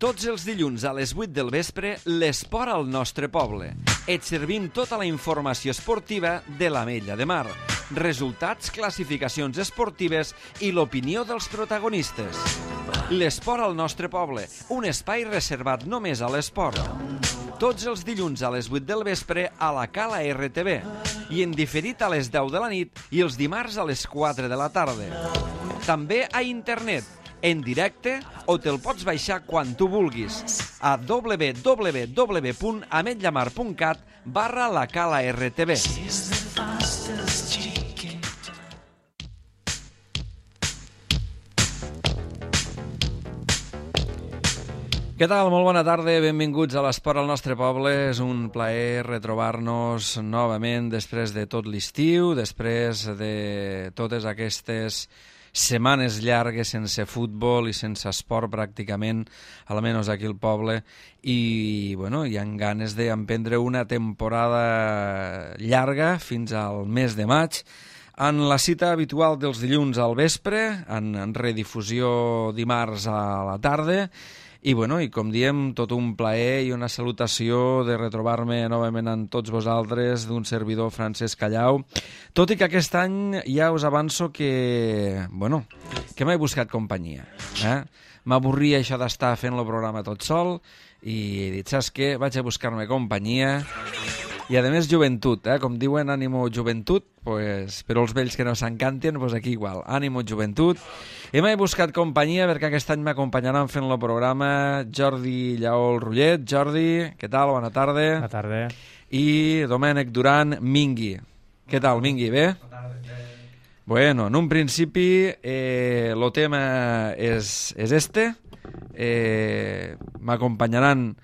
Tots els dilluns a les 8 del vespre, l'esport al nostre poble. Et servim tota la informació esportiva de l'Ametlla de Mar. Resultats, classificacions esportives i l'opinió dels protagonistes. L'esport al nostre poble, un espai reservat només a l'esport. Tots els dilluns a les 8 del vespre a la Cala RTV i en diferit a les 10 de la nit i els dimarts a les 4 de la tarda. També a internet, en directe o te'l pots baixar quan tu vulguis a www.ametlamar.cat/la-cala-rtv. Què tal? Molt bona tarda, benvinguts a l'Esport al nostre poble. És un plaer retrobar-nos novament després de tot l'estiu, després de totes aquestes setmanes llargues sense futbol i sense esport pràcticament, almenys aquí al poble, i bueno, hi ha ganes d'emprendre una temporada llarga fins al mes de maig, en la cita habitual dels dilluns al vespre, en redifusió dimarts a la tarda. I, bueno, i com diem, tot un plaer i una salutació de retrobar-me novament amb tots vosaltres, d'un servidor Francesc Callau. Tot i que aquest any ja us avanço que, bueno, que m'he buscat companyia. M'avorria això d'estar fent el programa tot sol i he dit, saps què? Vaig a buscar-me companyia. I a més joventut, com diuen, ànimo joventut, pues, però els vells que no s'encanten, pues aquí igual, ànimo joventut. I m'he buscat companyia perquè aquest any m'acompanyaran fent el programa Jordi Lleol Rullet. Jordi, què tal? Bona tarda. Bona tarda. I Domènec Duran Mingui. Què tal, Mingui? Bé? Bona tarda. Bueno, en un principi el tema és este. M'acompanyaran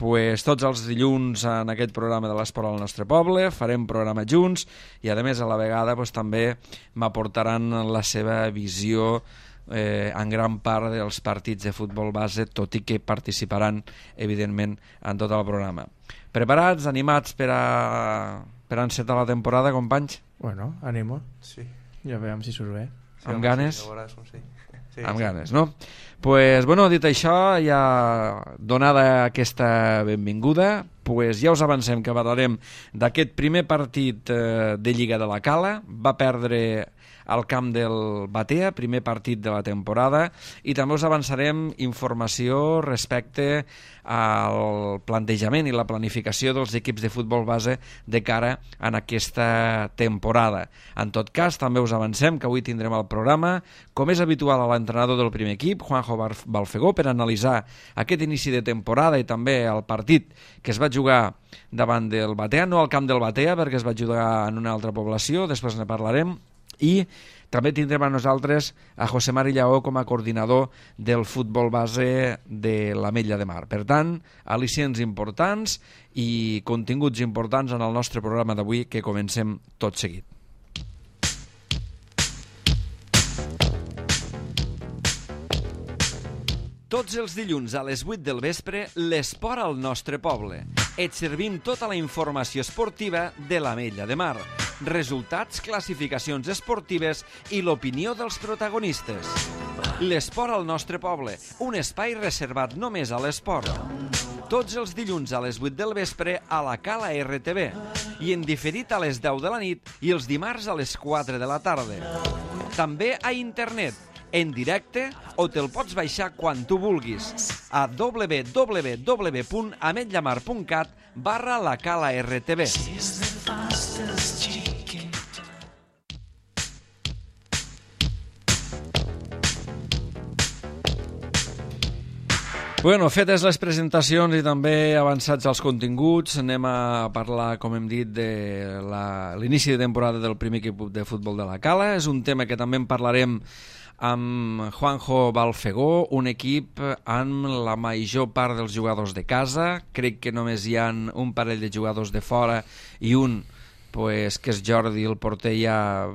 pues, tots els dilluns en aquest programa de l'Esport al nostre poble, farem programa junts i a més a la vegada pues, també m'aportaran la seva visió en gran part dels partits de futbol base, tot i que participaran evidentment en tot el programa. Preparats, animats per encetar la temporada, companys? Bueno, ànimo. Sí. Ja veiem si surt bé. Sí, amb ganes? Sí, amb ganes, no? Pues, bueno, dit això, ja donada aquesta benvinguda, pues ja us avancem que parlarem d'aquest primer partit de Lliga de la Cala. Va perdre al camp del Batea, primer partit de la temporada, i també us avançarem informació respecte al plantejament i la planificació dels equips de futbol base de cara a aquesta temporada. En tot cas, també us avancem que avui tindrem al programa, com és habitual, a l'entrenador del primer equip, Juanjo Balfegó, per analitzar aquest inici de temporada i també el partit que es va jugar davant del Batea, no al camp del Batea, perquè es va jugar en una altra població, després ne parlarem, i també tindrem a nosaltres a José Mari Lleó com a coordinador del futbol base de l'Ametlla de Mar. Per tant, al·licients importants i continguts importants en el nostre programa d'avui, que comencem tot seguit. Tots els dilluns a les 8 del vespre, l'esport al nostre poble. Et servim tota la informació esportiva de l'Ametlla de Mar. Resultats, classificacions esportives i l'opinió dels protagonistes. L'esport al nostre poble, un espai reservat només a l'esport. Tots els dilluns a les 8 del vespre a la Cala RTV i en diferit a les 10 de la nit i els dimarts a les 4 de la tarda. També a internet, en directe o te'l pots baixar quan tu vulguis a www.ametlamar.cat/la-cala-rtv. Bueno, fetes les presentacions i també avançats els continguts, anem a parlar, com hem dit, de l'inici de temporada del primer equip de futbol de la Cala. És un tema que també en parlarem amb Juanjo Balfegó, un equip amb la major part dels jugadors de casa. Crec que només hi ha un parell de jugadors de fora i un pues, que és Jordi el porter ja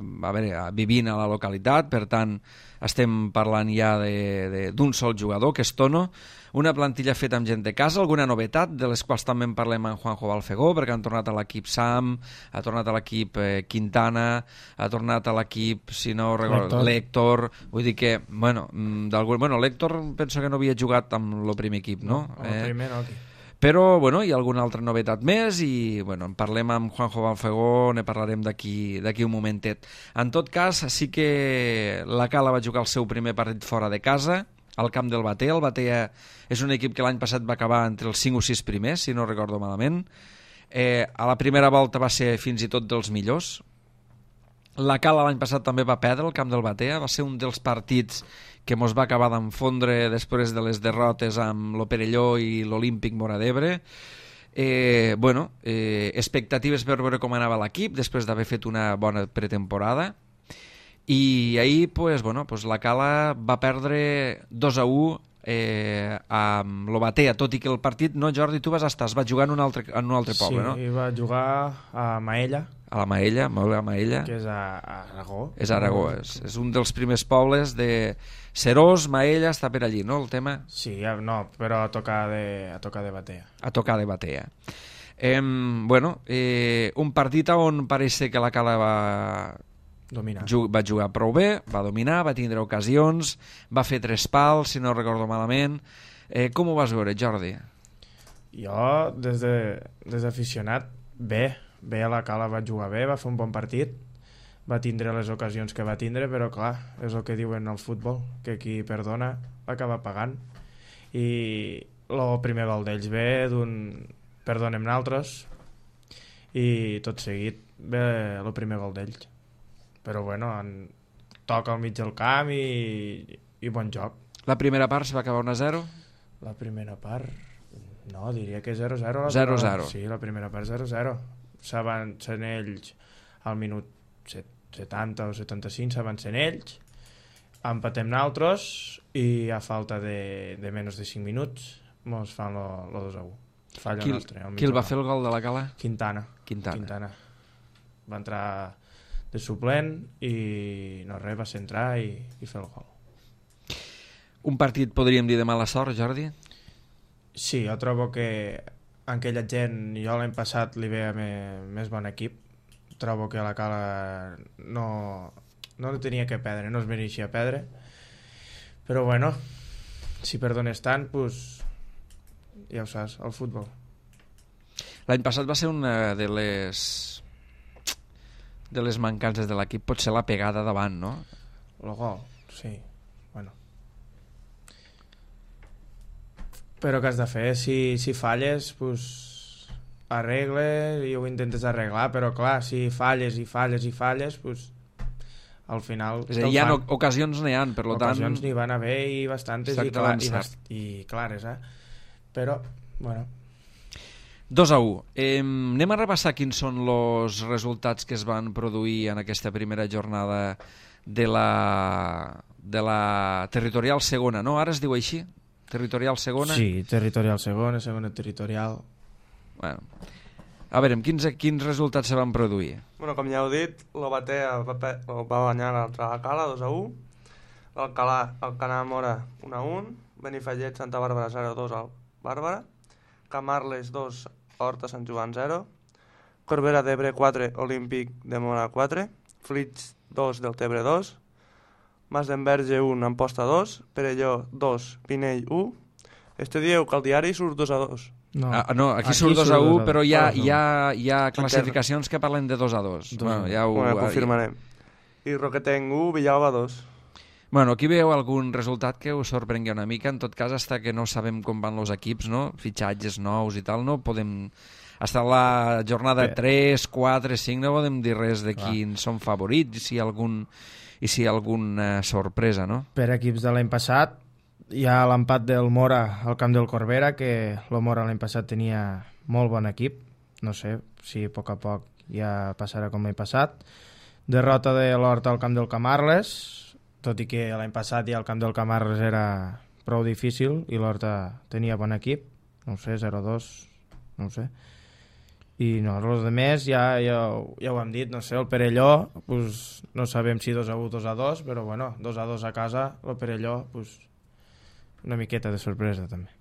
vivint a la localitat, per tant estem parlant ja d'un sol jugador, que és Tono, una plantilla feta amb gent de casa, alguna novetat, de les quals també en parlem amb Juanjo Balfegó, perquè han tornat a l'equip Sam, ha tornat a l'equip Quintana, ha tornat a l'equip, si no recordo, l'Héctor, vull dir que, l'Héctor penso que no havia jugat amb el primer equip, no? El primer no, aquí. Però, hi ha alguna altra novetat més i, en parlem amb Juanjo Balfegó, ne parlarem d'aquí un momentet. En tot cas, sí que la Cala va jugar el seu primer partit fora de casa, al camp del Batea. El Batea és un equip que l'any passat va acabar entre els 5 o 6 primers, si no recordo malament. A la primera volta va ser fins i tot dels millors. La Cala l'any passat també va perdre el camp del Batea, va ser un dels partits que mos va acabar d'enfondre després de les derrotes amb l'Operelló i l'Olímpic Móra d'Ebre. Expectatives per veure com anava l'equip després d'haver fet una bona pretemporada, i ahir la Cala va perdre 2-1 amb el Batea, tot i que el partit, no, Jordi, tu vas estar, es va jugar en un altre poble, no? Sí, va jugar a Maella. A la Maella, molt bé, a Maella. Que és a Aragó. És a Aragó, és un dels primers pobles de Serós, Maella, està per allí, no, el tema? Sí, no, però a tocar de Batea. A tocar de Batea. Un partit on pareix que la Cala va jugar prou bé, va dominar, va tindre ocasions, va fer 3 pals, si no recordo malament. Com ho vas veure, Jordi? Jo, des d'aficionat, bé a la Cala va jugar bé, va fer un bon partit, va tindre les ocasions que va tindre, però clar, és el que diuen al futbol, que qui perdona acaba pagant, i el primer gol d'ells ve d'un perdonem naltres, i tot seguit ve el primer gol d'ells, però toca al mig del camp i bon joc. La primera part se va acabar 1-0? La primera part, no, diria que 0-0. 0-0. Sí, la primera part 0-0. S'avancen ells al minut 70 o 75, s'avancen ells, empatem nosaltres i a falta de menys de 5 minuts mos fan el 2-1. Falla nostre. Qui el va fer el gol de la Cala? Quintana. Va entrar de suplent i no res, va centrar i fer el gol. Un partit, podríem dir, de mala sort, Jordi? Sí, jo trobo que aquella gent, jo l'any passat li veia més bon equip. Trobo que la Cala no tenia que perdre, no es mereixia perdre, però si perdones tant, pues, ja ho saps, el futbol. L'any passat va ser una de les mancances de l'equip, potser la pegada davant, no? El gol, sí, però què has de fer? Si falles, pues, arregles i ho intentes arreglar, però clar, si falles, pues, al final... És a dir, hi ha ocasions n'hi ha, per tant... Ocasions n'hi van haver i bastantes, i clares, però, 2-1. Anem a repassar quins són els resultats que es van produir en aquesta primera jornada de la territorial segona, no? Ara es diu així? Territorial segona? Sí, territorial segona territorial... Bueno, a veure, quins resultats se van produir? Com ja heu dit, el Batea va guanyar l'altre a la Cala 2-1, l'Alcalà Mora 1-1, Benifallet Santa Bàrbara 0-2 al Bàrbara, Camarles 2, Horta Sant Joan 0, Corbera d'Ebre 4, Olímpic de Mora 4, Flix 2, Deltebre 2, Mas d'Enverge 1, Amposta 2, Perelló 2, Pinell 1. Dieu que al diari surt 2-2. No, aquí surt 2-1, però hi ha classificacions que parlen de 2-2. Ja ho confirmarem. I Roquetenc 1, Villalba 2. Aquí veieu algun resultat que us sorprengui una mica. En tot cas, fins que no sabem com van els equips, no? Fitxatges nous i tal, no podem... Fins a la jornada 3, 4, 5 no podem dir res de quins són favorits i si hi ha alguna sorpresa, no? Per equips de l'any passat hi ha l'empat del Mora al camp del Corbera, que el Mora l'any passat tenia molt bon equip, no sé si a poc ja passarà com l'any passat. Derrota de l'Horta al camp del Camarles, tot i que l'any passat ja el camp del Camarles era prou difícil i l'Horta tenia bon equip, no ho sé, 0-2, no ho sé. I no, els altres ja ho hem dit, no sé, el Perelló, pues, no sabem si 2-1, 2-2, però bueno, 2-2 a casa, el Perelló, pues, una miqueta de sorpresa també.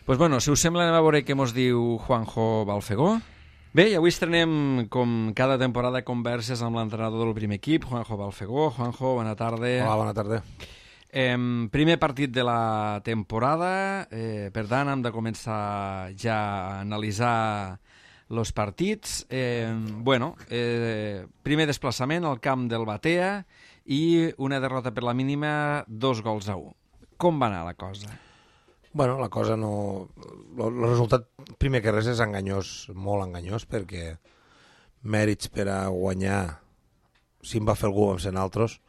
Pues bueno, si us sembla, anem a veure què mos diu Juanjo Balfegó. Bé, i avui estrenem, com cada temporada, converses amb l'entrenador del primer equip, Juanjo Balfegó. Juanjo, bona tarda. Hola, bona tarda. Primer partit de la temporada, per tant, hem de començar ja a analitzar els partits. Primer desplaçament al camp del Batea i una derrota per la mínima, 2-1. Com va anar la cosa? Bueno, la cosa no... El resultat, primer que res, és enganyós, molt enganyós, perquè mèrits per a guanyar, si en va fer algú, vam ser altres.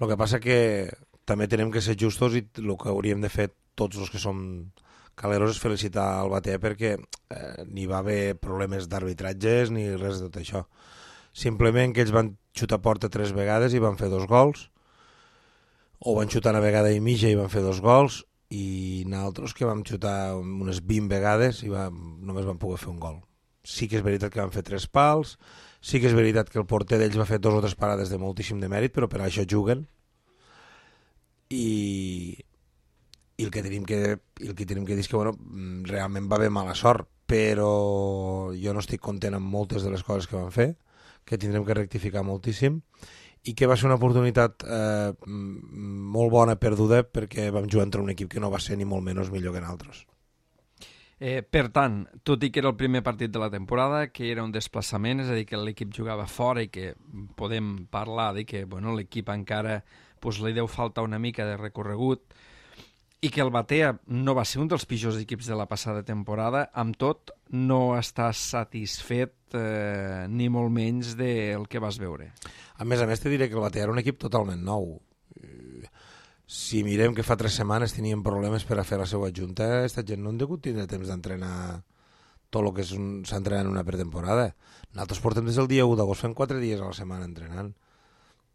El que passa que també tenim que ser justos i el que hauríem de fer tots els que som caleros és felicitar el Batea perquè ni va haver problemes d'arbitratges ni res de tot això. Simplement que ells van xutar a porta 3 vegades i van fer 2 gols, o van xutar una vegada i mitja i van fer 2 gols, i nosaltres que vam xutar unes 20 vegades i només vam poder fer un gol. Sí que és veritat que van fer 3 pals, sí que és veritat que el porter d'ells va fer 2 o 3 parades de moltíssim de mèrit, però per això juguen. I el que tenim que dir és que bueno, realment va haver mala sort, però jo no estic content amb moltes de les coses que van fer, que tindrem que rectificar moltíssim, i que va ser una oportunitat molt bona perduda perquè vam jugar entre un equip que no va ser ni molt menys millor que nosaltres. Per tant, tot i que era el primer partit de la temporada, que era un desplaçament, és a dir, que l'equip jugava fora i que podem parlar de que l'equip encara li deu faltar una mica de recorregut, i que el Batea no va ser un dels pitjors equips de la passada temporada, amb tot no estàs satisfet ni molt menys del que vas veure. A més, te diré que el Batea era un equip totalment nou. Si mirem que fa 3 setmanes teníem problemes per a fer la seva junta, aquesta gent no han degut tindre temps d'entrenar tot el que s'entrena en una pretemporada. Nosaltres portem des del dia 1 d'agost, fem 4 dies a la setmana entrenant.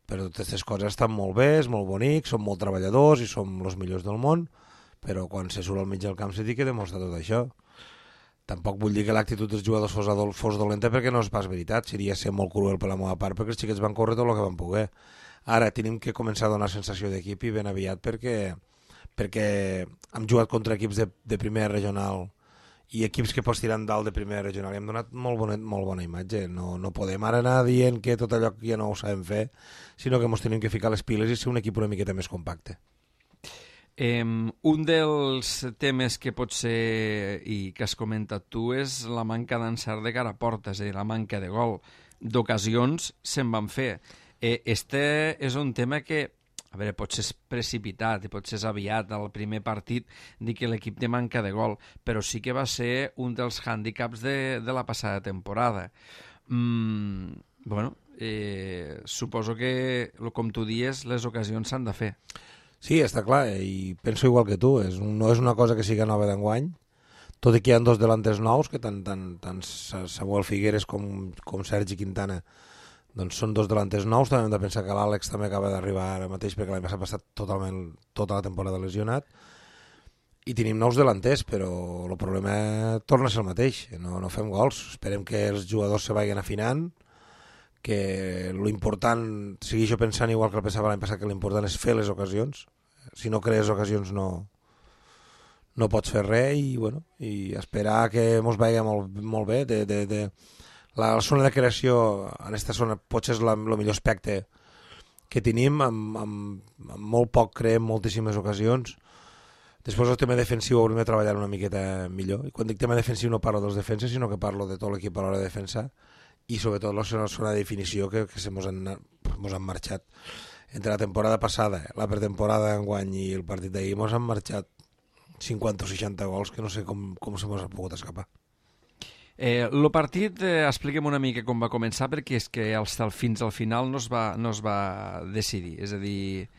Però totes aquestes coses estan molt bé, és molt bonic, som molt treballadors i som els millors del món, però quan se surt al mig del camp se té que demostrar tot això. Tampoc vull dir que l'actitud dels jugadors fos dolenta perquè no és pas veritat, seria ser molt cruel per la meva part, perquè els xiquets van córrer tot el que van poder. Ara tenim que començar a donar sensació d'equip i ben aviat perquè hem jugat contra equips de primera regional i equips que pots tirar dalt de primera regional i hem donat molt bona imatge. No podem ara anar dient que tot allò ja no ho sabem fer, sinó que ens tenim que ficar les piles i ser un equip una miqueta més compacte. Un dels temes que pot ser i que has comentat tu és la manca d'encert de cara a porta, és a dir, la manca de gol. D'ocasions se'n van fer. Este és un tema que, a veure, potser és precipitat i potser és aviat al primer partit dir que l'equip té manca de gol, però sí que va ser un dels hàndicaps de la passada temporada. Suposo que, com tu dius, les ocasions s'han de fer. Sí, està clar, i penso igual que tu, no és una cosa que siga nova d'enguany, tot i que hi ha 2 delanters nous, que tant Samuel Figueres com Sergi Quintana doncs són 2 delanters nous. També hem de pensar que l'Àlex també acaba d'arribar ara mateix perquè l'any passat ha passat totalment tota la temporada lesionat, i tenim nous delanters, però el problema torna a ser el mateix, no fem gols. Esperem que els jugadors se vagin afinant, que l'important, segueixo pensant igual que el pensava l'any passat, que l'important és fer les ocasions. Si no crees ocasions no pots fer res, i esperar que ens vagi molt bé. La zona de creació en aquesta zona potser és el millor aspecte que tenim, amb molt poc creem moltíssimes ocasions. Després el tema defensiu hauríem de treballar una miqueta millor, i quan dic tema defensiu no parlo dels defenses, sinó que parlo de tot l'equip a l'hora de defensar, i sobretot la zona de definició que se mos han marxat. Entre la temporada passada, la pretemporada d'enguany i el partit d'ahir mos han marxat 50 o 60 gols que no sé com se mos ha pogut escapar. El partit, expliquem una mica com va començar, perquè és que fins al final no es va decidir. És a dir,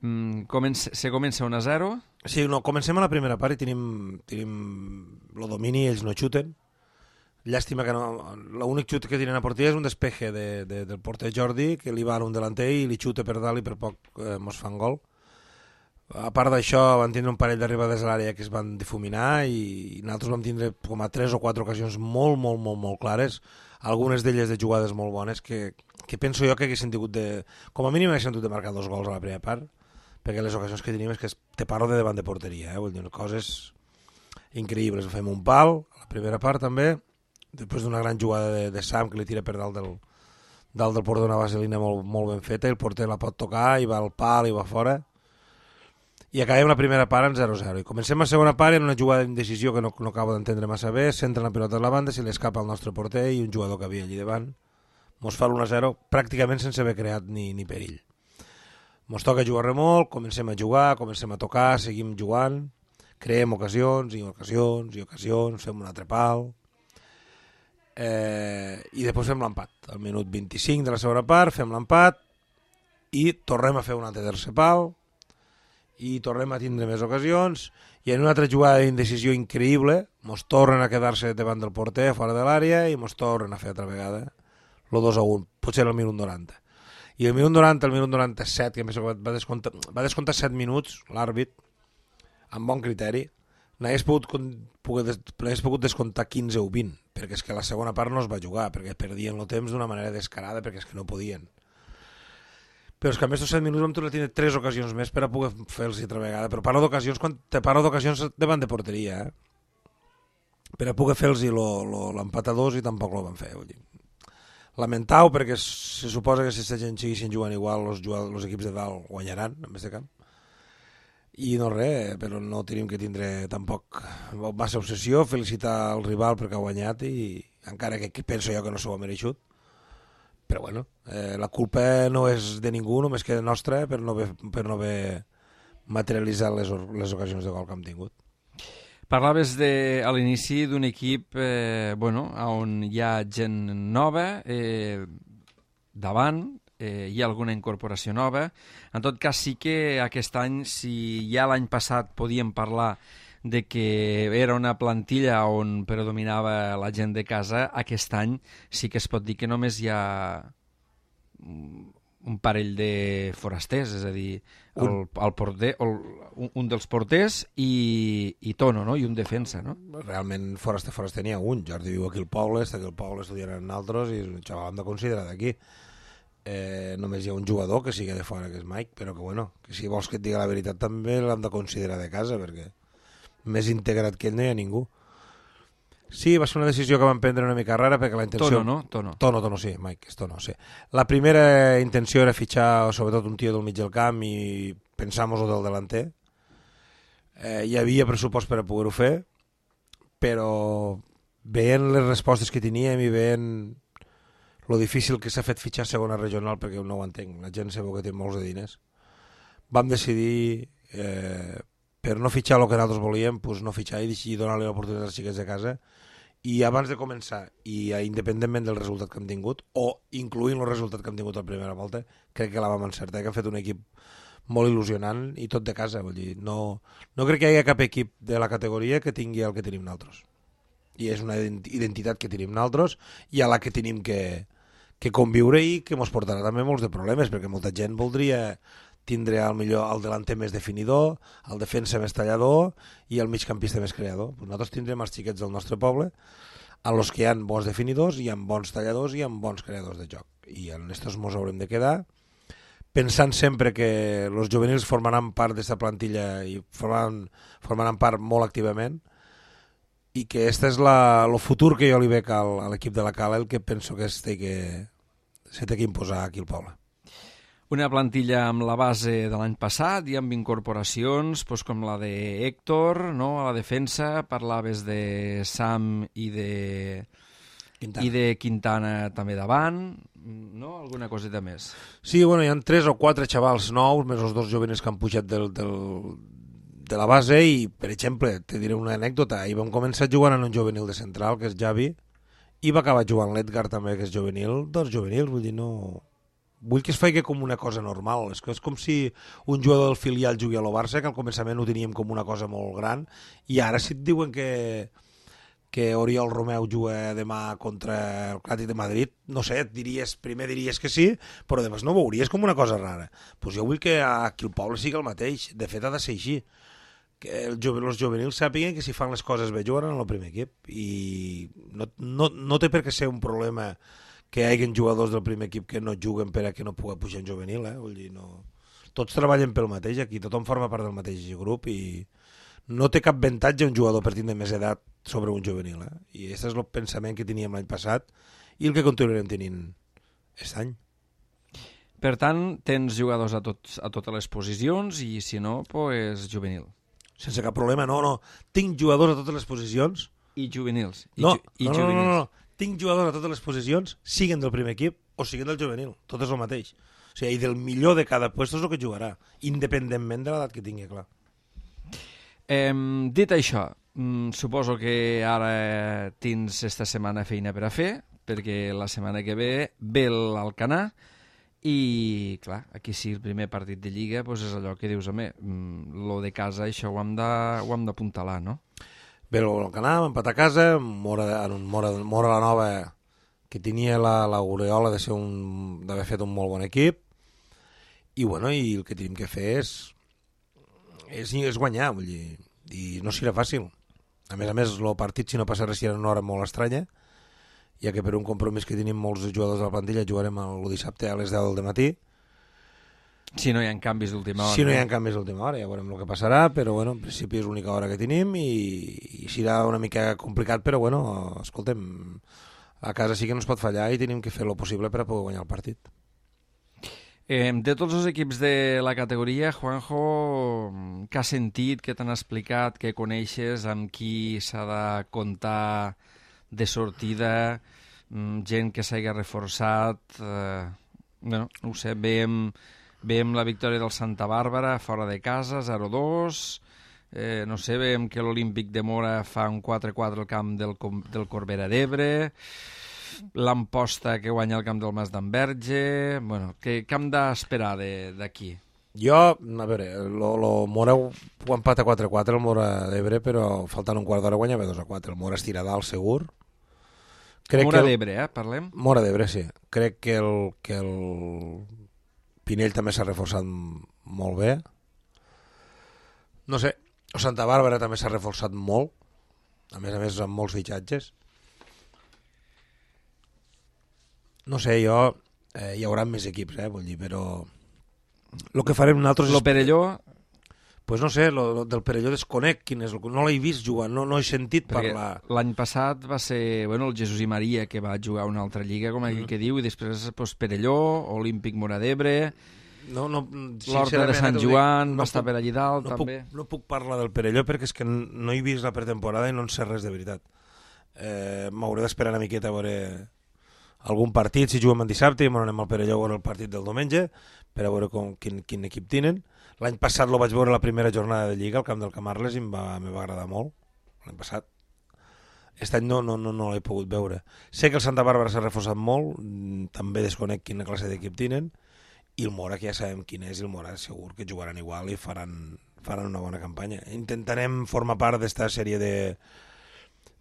se comença 1-0. Sí, comencem a la primera part i tenim el domini, ells no xuten. Llàstima que l'únic xut que tenen a porteria és un despeje del porter Jordi, que li va a un delanter i li xuta per dalt i per poc mos fan gol. A part d'això, van tindre un parell d'arribades a l'àrea que es van difuminar i nosaltres vam tindre com a 3 o 4 ocasions molt clares, algunes d'elles de jugades molt bones que penso jo que haguessin tingut com a mínim haguessin tingut de marcar 2 gols a la primera part, perquè les ocasions que tenim és que te parlo de davant de porteria, vull dir, coses increïbles. Fem un pal a la primera part també, després d'una gran jugada de Sam que li tira per dalt del porter, una vaselina molt ben feta, i el porter la pot tocar i va al pal i va fora, i acabem la primera part en 0-0 i comencem la segona part en una jugada d'indecisió que no acabo d'entendre massa bé, centra la pilota a la banda, se li escapa al nostre porter i un jugador que havia allí davant mos fa l'1-0 pràcticament sense haver creat ni perill. Mos toca jugar molt, comencem a jugar, comencem a tocar, seguim jugant, creem ocasions, fem un altre pal, i després fem l'empat al minut 25 de la segona part, fem l'empat i tornem a fer un altre tercer pal i tornem a tindre més ocasions, i en una altra jugada d'indecisió increïble mos tornen a quedar-se davant del porter fora de l'àrea i mos tornen a fer altra vegada el 2-1, potser el minut 90, i el minut 90, el minut 97 que va descomptar 7 minuts l'àrbit amb bon criteri, n'hagués pogut descomptar 15 o 20, perquè és que la segona part no es va jugar, perquè perdien el temps d'una manera descarada, perquè és que no podien. Però és que a més dels 7 minuts vam tornar a tenir 3 ocasions més per a poder fer-los altra vegada. Però parlo d'ocasions quan te parlo d'ocasions davant de porteria, per a poder fer-los l'empat a 2 i tampoc ho van fer. Lamentau, perquè se suposa que si la gent seguissin jugant igual, els equips de dalt guanyaran en aquest camp. I no res, però no tenim que tindre tampoc massa obsessió, felicitar el rival perquè ha guanyat, i encara que penso jo que no s'ho ha mereixut. Però bueno, la culpa no és de ningú, només que nostra per no haver materialitzat les ocasions de gol que hem tingut. Parlaves a l'inici d'un equip on hi ha gent nova, davant, hi ha alguna incorporació nova. En tot cas, sí que aquest any, si ja l'any passat podíem parlar de que era una plantilla on predominava la gent de casa, aquest any sí que es pot dir que només hi ha un parell de forasters, és a dir, el porter, un dels porters i Tono, no? I un defensa, no? Realment foraster n'hi ha un. Jordi viu aquí al poble, està aquí al poble estudiant en altres i això l'hem de considerar d'aquí. Només hi ha un jugador que sigui de fora, que és Mike, però que si vols que et digui la veritat també l'hem de considerar de casa, perquè més integrat que ell no hi ha ningú. Sí, va ser una decisió que vam prendre una mica rara, perquè la intenció... Tono, no? Tono, sí, Mike, és Tono, sí. La primera intenció era fitxar sobretot un tio del mig del camp i pensar-nos-ho del delanter. Hi havia pressupost per a poder-ho fer, però veient les respostes que teníem i veient lo difícil que s'ha fet fitxar segona regional, perquè no ho entenc, la gent sabeu que té molts de diners, vam decidir... per no fitxar el que nosaltres volíem, doncs no fitxar i donar-li l'oportunitat als xiquets de casa, i abans de començar, i independentment del resultat que hem tingut, o incloent el resultat que hem tingut a la primera volta, crec que la vam encertar, que hem fet un equip molt il·lusionant i tot de casa, vull dir, no crec que hi hagi cap equip de la categoria que tingui el que tenim nosaltres. I és una identitat que tenim nosaltres i a la que tenim que conviure i que ens portarà també molts de problemes, perquè molta gent voldria tindre al millor el delanter més definidor, el defensa més tallador i el migcampista més creador. Pues nosaltres tindrem els xiquets del nostre poble a los que hi ha bons definidors, hi ha bons talladors i hi ha bons creadors de joc. I en estos ens haurem de quedar pensant sempre que els juvenils formaran part d'aquesta plantilla i formaran part molt activament i que este és el futur que jo li veig a l'equip de la Cala, el que penso que s'ha de imposar aquí al poble. Una plantilla amb la base de l'any passat i amb incorporacions com la de Héctor, no? A la defensa parlaves de Sam i de Quintana també davant, no? Alguna coseta més? Sí, hi ha 3 o 4 xavals nous, més els 2 jovenes que han pujat de la base i, per exemple, te diré una anècdota, ahir vam començar jugant en un juvenil de central, que és Javi, i va acabar jugant l'Edgar també, que és juvenil, 2 juvenils, vull dir, no... Vull que es faci com una cosa normal. És com si un jugador del filial jugui a lo Barça, que al començament ho teníem com una cosa molt gran, i ara si et diuen que que Oriol Romeu juga demà contra el Atlètic de Madrid, no sé, primer diries que sí, però després no ho veuries com una cosa rara. Pues jo vull que aquí el poble sigui el mateix, de fet ha de ser així, que els juvenils sàpiguen que si fan les coses bé jugaran en el primer equip, i no té per què ser un problema que hi hagi jugadors del primer equip que no juguen per a que no pugui pujar en juvenil, vull dir, no... Tots treballen pel mateix aquí, tothom forma part del mateix grup i no té cap avantatge un jugador per tindre més edat sobre un juvenil, i aquest és el pensament que teníem l'any passat i el que continuarem tenint aquest any. Per tant, tens jugadors a totes les posicions i si no, pues juvenil. Sense cap problema, no. Tinc jugadors a totes les posicions. I juvenils. No. Tinc jugadors a totes les posicions, siguen del primer equip o siguen del juvenil. Tot és el mateix. O sigui, i del millor de cada lloc és el que jugarà, independentment de l'edat que tingui, clar. Dit això, suposo que ara tens esta setmana feina per a fer, perquè la setmana que ve l'Alcanar, i clar, aquí sí, el primer partit de Lliga doncs és allò que dius, home, lo de casa això ho hem d'apuntalar, no? Bé, l'Alcanar va empatar a casa, Mora la Nova, que tenia l'aureola d'haver fet un molt bon equip, i bueno, i el que tenim que fer és guanyar, vull dir, i no serà fàcil. A més, el partit, si no passa res, serà una hora molt estranya, ja que per un compromís que tenim molts jugadors de la plantilla jugarem el dissabte a les 10 del matí. Si no hi ha canvis d'última hora. Si no hi ha canvis d'última hora, ja veurem el que passarà, però bueno, en principi és l'única hora que tenim i serà una mica complicat, però bueno, escoltem, a casa sí que no es pot fallar i tenim que fer el possible per a poder guanyar el partit. De tots els equips de la categoria, Juanjo, què has sentit, què t'han explicat, què coneixes, amb qui s'ha de comptar de sortida, gent que s'hagi reforçat, bueno, no ho sé, veiem la victòria del Santa Bàrbara fora de casa, 0-2, no sé, veiem que l'Olímpic de Mora fa un 4-4 al camp del Corbera d'Ebre, l'Amposta que guanya el camp del Mas d'Enverge, bueno, què hem d'esperar d'aquí? Jo, a veure, el Mora ho empata 4-4 el Mora d'Ebre, però faltant un quart d'hora guanyava 2-4, el Mora es tira dalt segur. Mora d'Ebre, parlem? Mora d'Ebre, sí. Crec que el Pinell també s'ha reforçat molt bé. No sé, el Santa Bàrbara també s'ha reforçat molt, a més amb molts fitxatges. No sé, hi haurà més equips, vull dir, però el que farem nosaltres... Lo Perelló... Pues no sé, del Perelló desconec quin és, no l'he vist jugar, no he sentit parlar. L'any passat va ser el Jesús i Maria que va jugar una altra lliga, com aquell que diu, i després Perelló, Olímpic Mora d'Ebre, l'Horta de Sant Joan va estar per allí dalt, també. No puc parlar del Perelló perquè és que no he vist la pretemporada i no en sé res de veritat. M'hauré d'esperar una miqueta a veure algun partit, si juguem el dissabte i anem al Perelló a veure el partit del diumenge per a veure quin equip tenen. L'any passat lo vaig veure la primera jornada de Lliga al camp del Camarles i me va agradar molt, l'any passat. Aquest any no l'he pogut veure. Sé que el Santa Bàrbara s'ha reforçat molt, també desconec quina classe d'equip tenen, i el Mora, que ja sabem quin és, i el Mora segur que jugaran igual i faran una bona campanya. Intentarem formar part d'esta sèrie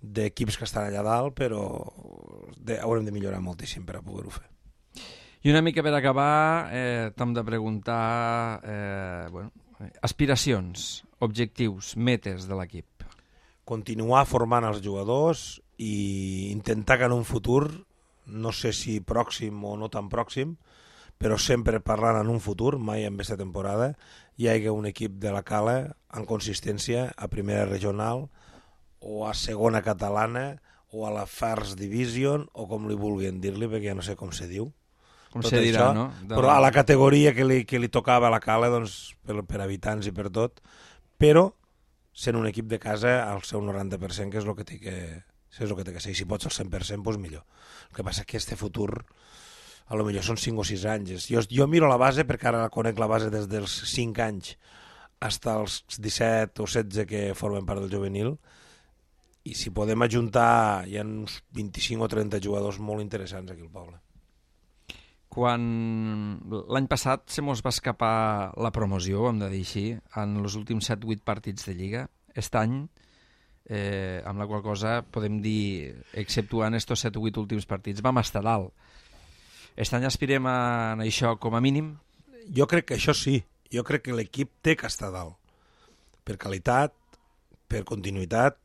d'equips que estan allà dalt, però haurem de millorar moltíssim per a poder-ho fer. I una mica per acabar, t'hem de preguntar aspiracions, objectius, metes de l'equip. Continuar formant els jugadors i intentar que en un futur, no sé si pròxim o no tan pròxim, però sempre parlant en un futur, mai en aquesta temporada, hi hagi un equip de la Cala en consistència a primera regional o a segona catalana o a la First Division o com li vulguin dir-li, perquè ja no sé com se diu. Com se dirà, no? Però a la categoria que li tocava a la Cala, doncs, per habitants i per tot, però sent un equip de casa al seu 90%, que és el que té que ser. Si pots al 100%, doncs millor. El que passa és que este futur, a lo millor són 5 o 6 anys. Jo miro la base, perquè ara conec la base des dels 5 anys fins als 17 o 16 que formen part del juvenil, i si podem ajuntar, hi ha uns 25 o 30 jugadors molt interessants aquí al poble. Quan l'any passat se mos va escapar la promoció, hem de dir així, en els últims 7-8 partits de Lliga. Aquest any amb la qual cosa podem dir, exceptuant estos 7 o 8 últims partits, vam estar dalt. Aquest any aspirem a això com a mínim? Jo crec que això sí. Jo crec que l'equip té que estar dalt. Per qualitat, per continuïtat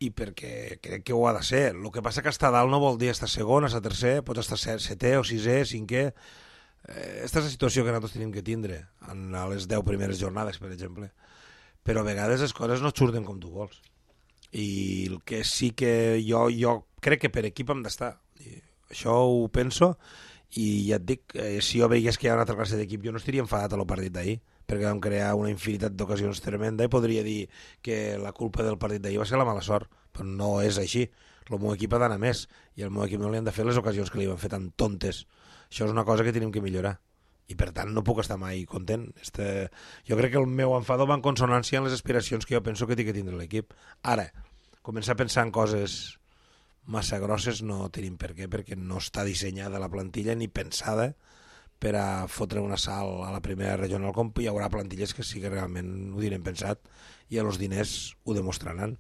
i perquè crec que ho ha de ser. El que passa que estar dalt no vol dir estar segon, estar tercer, pots estar setè o sisè, cinquè. Aquesta és la situació que nosaltres tenim que tindre en les 10 primeres jornades, per exemple. Però a vegades les coses no surten com tu vols. I el que sí que jo crec que per equip hem d'estar. Això ho penso i ja et dic, si jo veigués que hi ha una altra classe d'equip jo no estaria enfadat a lo partit d'ahir, perquè vam crear una infinitat d'ocasions tremenda i podria dir que la culpa del partit d'ahir va ser la mala sort, però no és així. El meu equip ha d'anar més i al meu equip no li han de fer les ocasions que li van fer tan tontes. Això és una cosa que tenim que millorar i per tant no puc estar mai content. Jo crec que el meu enfado va en consonància amb les aspiracions que jo penso que té que tindre l'equip. Ara, començar a pensar en coses massa grosses no tenim per què, perquè no està dissenyada la plantilla ni pensada per a fotre una salt a la primera regional, com hi haurà plantilles que sí que realment ho tenen pensat i els diners ho demostraran.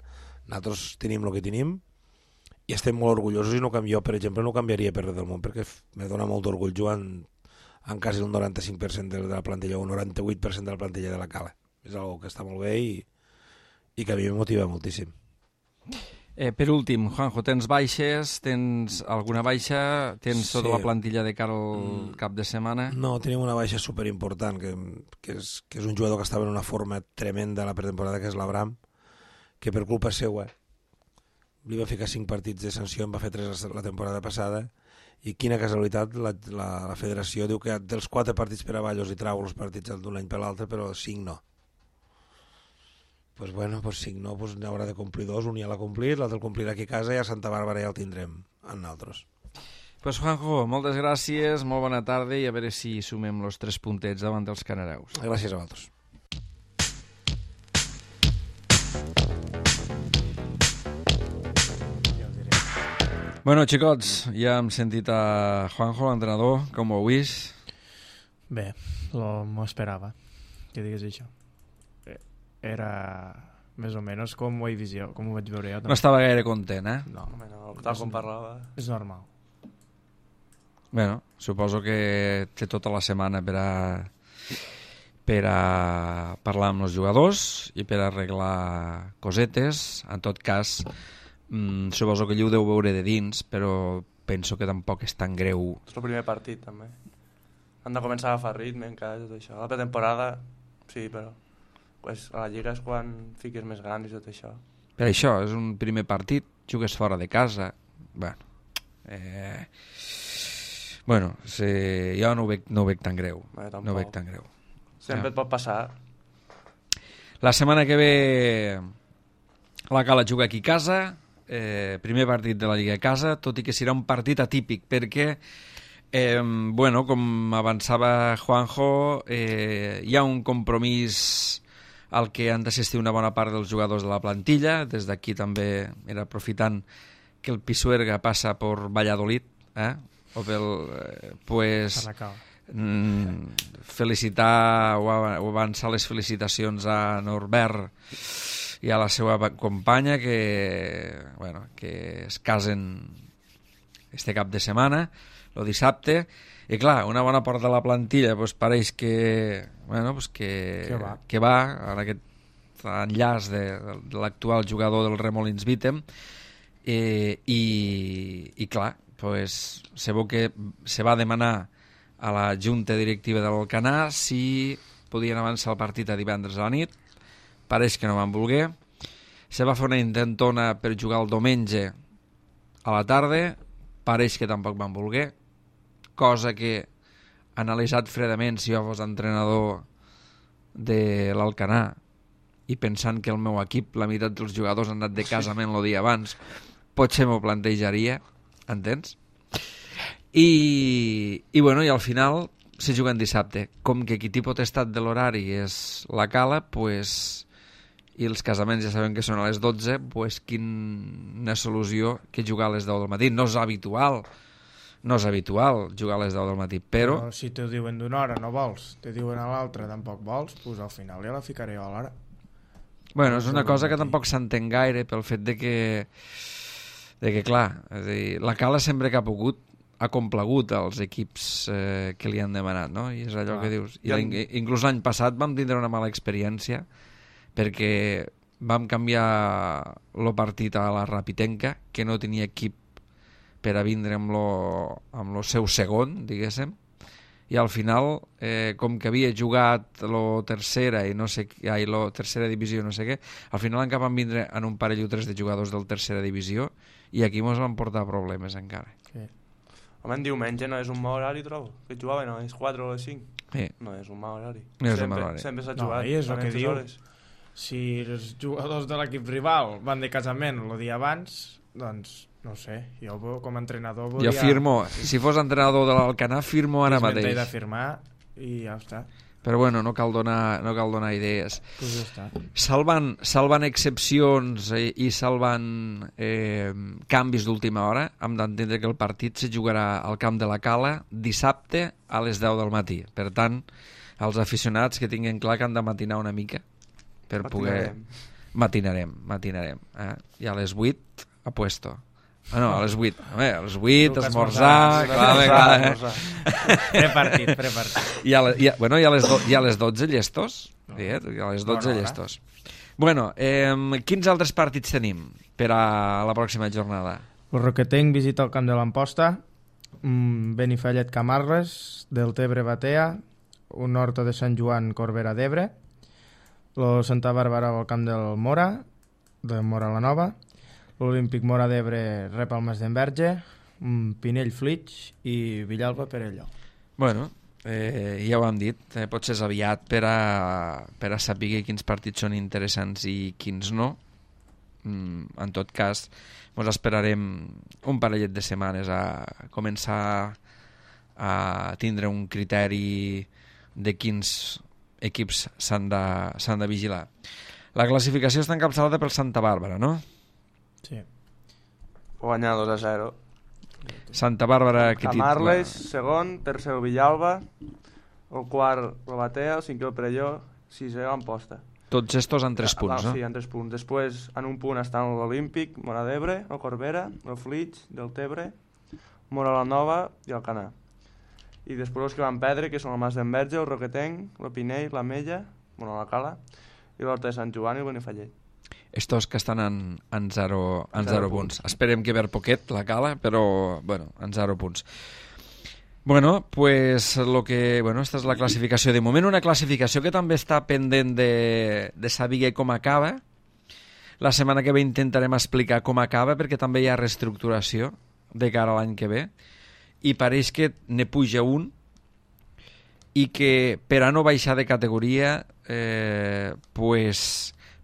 Nosaltres tenim el que tenim i estem molt orgullosos i jo, per exemple, no canviaria per res del món perquè me dona molt d'orgull jugant en quasi un 95% de la plantilla o un 98% de la plantilla de la Cala. És una que està molt bé i que a mi em motiva moltíssim. Per últim, Juanjo, tens baixes? Tens alguna baixa? Tens tota la plantilla de cara al cap de setmana? No, tenim una baixa superimportant, que és un jugador que estava en una forma tremenda a la pretemporada, que és l'Abram, que per culpa seva li va ficar 5 partits de sanció, en va fer 3 la temporada passada, i quina casualitat, la federació diu que dels 4 partits per avall els hi trau els partits d'un any per l'altre, però 5 no. Pues bueno, pues 5 no, pues n'haurà de complir 2, un ja l'ha complit, l'altre el complirà aquí a casa i a Santa Bàrbara ja el tindrem en nosaltres. Pues Juanjo, moltes gràcies, molt bona tarda i a veure si sumem els 3 puntets davant dels canareus. Gràcies a vosaltres. Bueno, xicots, ja hem sentit a Juanjo, l'entrenador, com ho heu vist? Bé, m'ho esperava, que digués això. Era més o menys com ho vaig veure jo. No estava gaire content, eh? No, tal com parlava. És normal. Bueno, suposo que té tota la setmana per a parlar amb els jugadors i per a arreglar cosetes. En tot cas, suposo que ell ho deu veure de dins, però penso que tampoc és tan greu. És el primer partit, també. Han de començar a agafar ritme encara, tot això. La pretemporada, sí, però pues a la Lliga és quan fiques més grans i tot això. Per això, és un primer partit, jugues fora de casa. Bueno, jo no ho veig tan greu. No ho veig tan greu. Sempre et pot passar. La setmana que ve la Cala juga aquí a casa, primer partit de la Lliga a casa, tot i que serà un partit atípic, perquè bueno, com avançava Juanjo, hi ha un compromís al que han d'assistir una bona part dels jugadors de la plantilla. Des d'aquí també era aprofitant que el Pisuerga passa per Valladolid, o pel pues, felicitar o avançar les felicitacions a Norbert i a la seva companya que es casen este cap de setmana, el dissabte. I clar, una bona part de la plantilla pareix que va en aquest enllaç de l'actual jugador del Remolins Vitem i clar, se veu que se va demanar a la junta directiva de l'Alcanar si podien avançar el partit a divendres a la nit. Pareix que no van voler. Se va fer una intentona per jugar el diumenge a la tarda, pareix que tampoc van voler, cosa que, analitzat fredament, si jo fos entrenador de l'Alcanar i pensant que el meu equip, la meitat dels jugadors han anat de casament el dia abans, potser m'ho plantejaria, entens? I al final se juguen dissabte. Com que qui té potestat de l'horari és la Cala, i els casaments ja sabem que són a les 12, quina solució que jugar a les 10 del matí. No és habitual jugar a les 10 del matí, però si te diuen d'una hora no vols, te diuen a l'altra tampoc vols, doncs al final ja la ficaré jo a l'hora. Bueno, és una cosa que tampoc s'entén gaire pel fet de que clar, és a dir, la Cala sempre que ha pogut ha complagut als equips que li han demanat, no? I és allò que dius. Inclús l'any passat vam tindre una mala experiència perquè vam canviar el partit a la Rapitenca, que no tenia equip per a vindre amb lo seu segon, diguéssim, i al final, com que havia jugat la tercera tercera divisió no sé què, al final encara van vindre en un parell o tres de jugadors del tercera divisió i aquí mos van portar problemes encara. Sí. Home, en diumenge no és un mal horari, trobo. Que jugaven a les 4 o les 5. Sí. No és un mal horari. No és un mal horari. Sempre s'ha jugat. No, i és el que diu. Hores. Si els jugadors de l'equip rival van de casament el dia abans, doncs, no sé, jo com a entrenador volia... Jo firmo, si fos entrenador de l'Alcanar, firmo ara mateix. És de firmar i ja està. Però bueno, no cal donar idees. Pues ja està. Salvant excepcions i salvant canvis d'última hora, hem d'entendre que el partit se jugarà al camp de la Cala dissabte a les 10 del matí. Per tant, els aficionats que tinguin clar que han de matinar una mica per poder... Matinarem. I a les 8 a puesto. Ah, no, a les 8. A les 8, esmorzar... Clar. Prepartit. I a les 12 llestos. I a les 12 llestos. Bueno, quins altres partits tenim per a la pròxima jornada? El Roquetenc visita el camp de l'Amposta, Benifallet Camarles, Deltebre Batea, un Horta de Sant Joan Corbera d'Ebre, el Santa Bàrbara al camp del Mora, de Mora la Nova, l'Olímpic Mora d'Ebre rep el Mas d'Enverge, Pinell Flix i Villalba Perelló. Bueno, ja ho hem dit, potser és aviat per a saber quins partits són interessants i quins no. En tot cas, ens esperarem un parellet de setmanes a començar a tindre un criteri de quins equips s'han de vigilar. La classificació està encapçalada pel Santa Bàrbara, no? Sí. Guanyar 2-0. Santa Bàrbara... Camarles, segon, tercer el Villalba, el quart el Batea, el cinquè el Perelló, sisè l'Amposta. Tots estos en 3 punts, no? Sí, en 3 punts. Després, en un punt estan l'Olímpic, Mora d'Ebre, el Corbera, el Flix, Deltebre, Mora la Nova i el Canà. I després els que van perdre, que són el Mas d'Enverge, el Roquetenc, el Pinell, la Mella, bueno, la Cala, i l'Horta de Sant Joan i el Benifallet. Estos que estan en 0 punts. Esperem que per poquet la Cala, però, bueno, en 0 punts. Bueno, pues esta és la classificació de moment, una classificació que també està pendent de saber com acaba. La setmana que ve intentarem explicar com acaba, perquè també hi ha reestructuració de cara a l'any que ve, i pareix que ne puja un, i que per a no baixar de categoria,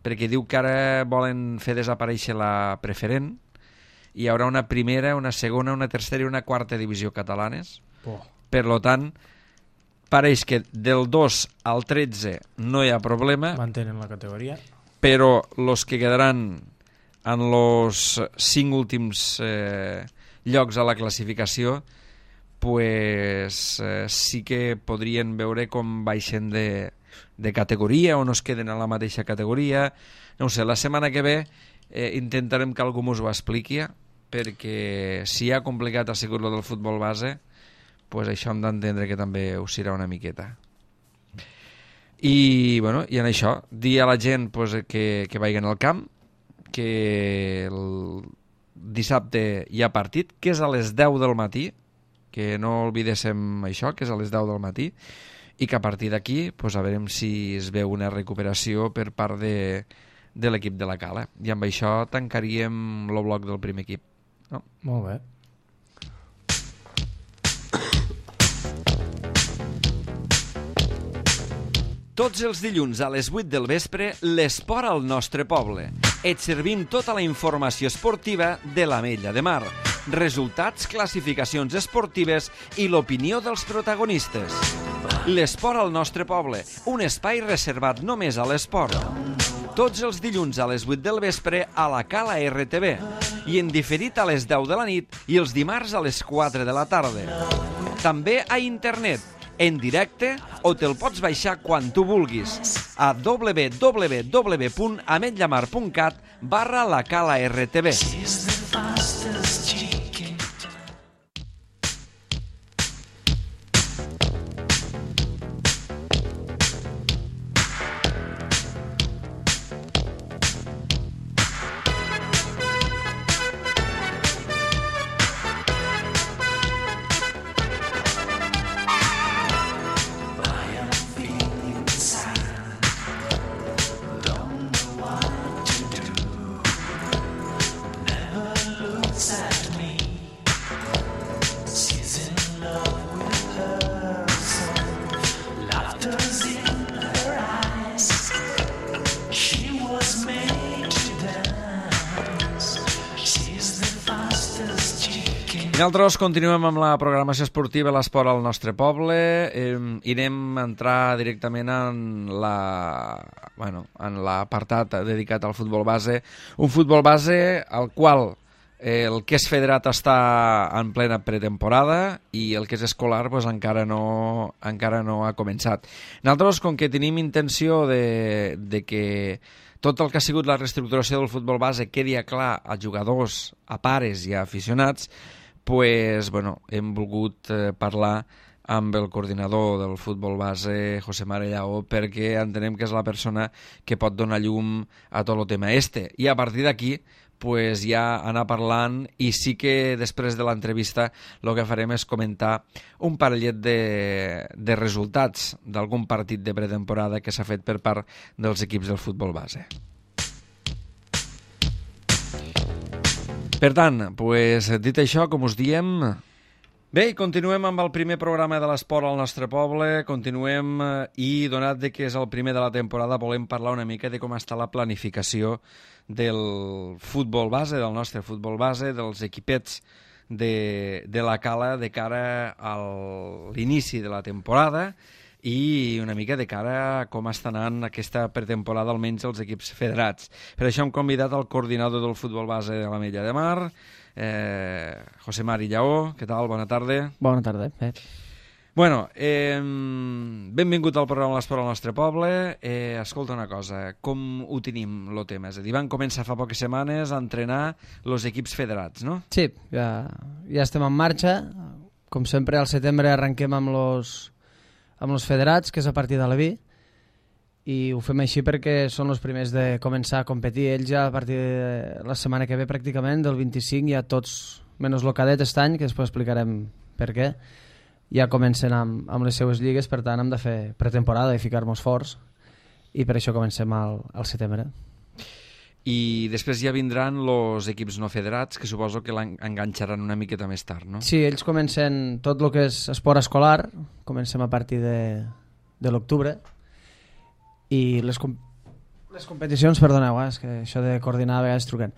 perquè diu que ara volen fer desaparèixer la preferent, hi haurà una primera, una segona, una tercera i una quarta divisió catalanes. Per lo tant, pareix que del 2 al 13 no hi ha problema. Mantenen la categoria. Però els que quedaran en els 5 últims llocs a la classificació, sí que podrien veure com baixen de categoria o no es queden a la mateixa categoria. No ho sé, la setmana que ve intentarem que algú us ho expliqui, perquè si ha complicat ha sigut lo del futbol base, això hem d'entendre que també us serà una miqueta. I en això, dir a la gent que vagin al camp, que el dissabte hi ha partit, que és a les 10 del matí, que no oblidéssim això, que és a les 10 del matí, i que a partir d'aquí a veurem si es veu una recuperació per part de l'equip de la Cala. I amb això tancaríem el bloc del primer equip. No? Molt bé. Tots els dilluns a les 8 del vespre, l'esport al nostre poble. Et servim tota la informació esportiva de l'Ametlla de Mar, resultats, classificacions esportives i l'opinió dels protagonistes. L'esport al nostre poble, un espai reservat només a l'esport. Tots els dilluns a les 8 del vespre a la Cala RTV i en diferit a les 10 de la nit i els dimarts a les 4 de la tarda. També a internet, en directe o te'l pots baixar quan tu vulguis a www.ametlllamar.cat/la-cala-rtb. Nosaltres continuem amb la programació esportiva i l'esport al nostre poble. Irem a entrar directament en l'apartat dedicat al futbol base. Un futbol base al qual el que és federat està en plena pretemporada i el que és escolar pues, encara no ha començat. Nosaltres, com que tenim intenció de que tot el que ha sigut la reestructuració del futbol base quedi clar a jugadors, a pares i a aficionats, pues, hem volgut parlar amb el coordinador del futbol base, José Mari Lleó, perquè entenem que és la persona que pot donar llum a tot el tema este. I a partir d'aquí, pues, ja anar parlant, i sí que després de l'entrevista el que farem és comentar un parellet de resultats d'algun partit de pretemporada que s'ha fet per part dels equips del futbol base. Per tant, pues, dit això, com us diem... Bé, continuem amb el primer programa de l'esport al nostre poble, continuem i, donat que és el primer de la temporada, volem parlar una mica de com està la planificació del futbol base, del nostre futbol base, dels equipets de la Cala de cara a l'inici de la temporada i una mica de cara a com està anant aquesta pretemporada, almenys els equips federats. Per això hem convidat el coordinador del futbol base de l'Ametlla de Mar, José Mari Lleó. Què tal? Bona tarda. Bona tarda. Bueno, benvingut al programa L'Esport al nostre poble. Escolta una cosa, com ho tenim, el tema? És a dir, van començar fa poques setmanes a entrenar els equips federats, no? Sí, ja estem en marxa. Com sempre, al setembre arrenquem amb els federats, que és a partir de l'Aví, i ho fem així perquè són els primers de començar a competir. Ells ja a partir de la setmana que ve, pràcticament, del 25, ja tots, menys el cadet aquest any, que després explicarem per què, ja comencen amb les seues lligues, per tant hem de fer pretemporada i ficar-nos forts, i per això comencem al setembre. I després ja vindran els equips no federats, que suposo que l'enganxaran una miqueta més tard, no? Sí, ells comencen tot el que és esport escolar, comencem a partir de l'octubre, i les competicions, perdoneu, és que això de coordinar a vegades truquen,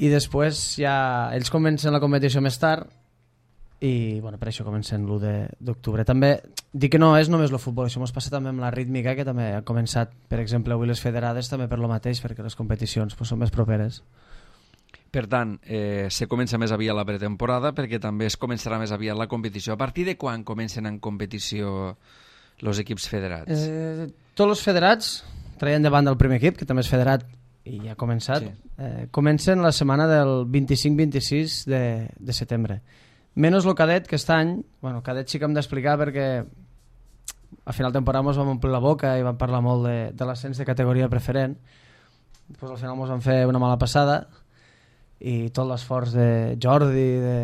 i després ja ells comencen la competició més tard, i per això comencen l'1 d'octubre. També dic que no és només el futbol, això ens passa també amb la rítmica, que també ha començat, per exemple, avui les federades també per lo mateix, perquè les competicions són més properes. Per tant, se comença més aviat la pretemporada, perquè també es començarà més aviat la competició. A partir de quan comencen en competició els equips federats? Tots els federats, traient davant del primer equip, que també és federat i ja ha començat, comencen la setmana del 25-26 de setembre. Menys el cadet, que aquest any, el cadet sí que hem d'explicar perquè a final de temporada ens vam omplir la boca i vam parlar molt de l'ascens de categoria preferent. Després al final ens vam fer una mala passada i tot l'esforç de Jordi, de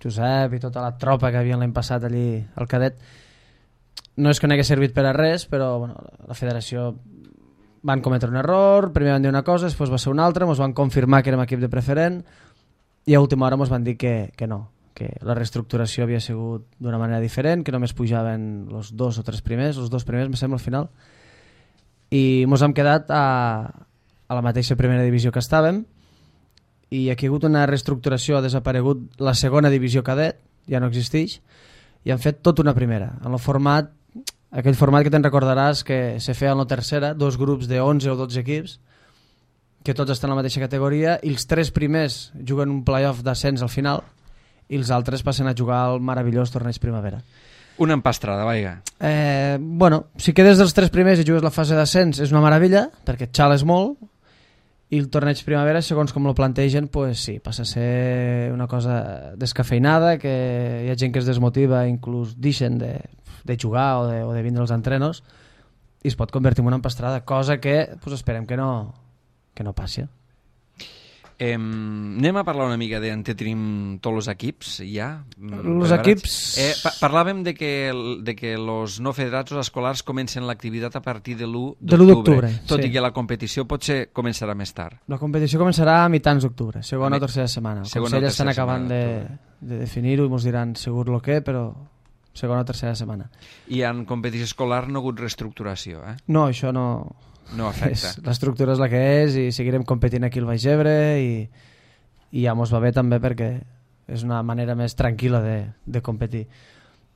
Josep i tota la tropa que havien l'any passat allí al cadet no és que no hagués servit per a res, però la federació van cometre un error, primer van dir una cosa, després va ser una altra, ens van confirmar que érem equip de preferent i a última hora ens van dir que no, que la reestructuració havia sigut d'una manera diferent, que només pujaven els 2 o 3 primers, els 2 primers, me sembla, al final, i ens hem quedat a la mateixa primera divisió que estàvem, i aquí ha hagut una reestructuració, ha desaparegut la segona divisió cadet, ja no existeix, i han fet tota una primera, en el format, aquell format que te'n recordaràs que se feia en la tercera, 2 grups de 11 o 12 equips, que tots estan en la mateixa categoria, i els 3 primers juguen un playoff d'ascens al final, i els altres passen a jugar al meravellós torneig primavera. Una empastrada, vaiga. Bueno, si quedes dels 3 primers i jugues la fase d'ascens és una meravella, perquè et xales molt, i el torneig primavera, segons com lo plantegen, pues sí, passa a ser una cosa descafeinada, que hi ha gent que es desmotiva, inclús deixen de jugar o de vindre als entrenos, i es pot convertir en una empastrada, cosa que pues, esperem que no passi. Anem a parlar una mica d'on tenim tots els equips, ja? Els equips... Parlàvem de que els no federats o escolars comencen l'activitat a partir de l'1 d'octubre, tot sí. i que la competició potser començarà més tard. La competició començarà a mitjans d'octubre, segona o tercera setmana. El Consell estan acabant de definir-ho i ens diran segur el què, però segona o tercera setmana. I en competició escolar no ha hagut reestructuració, eh? No, això no... No afecta. L'estructura és la que és i seguirem competint aquí al Baix Ebre i ja mos va bé també perquè és una manera més tranquil·la de competir.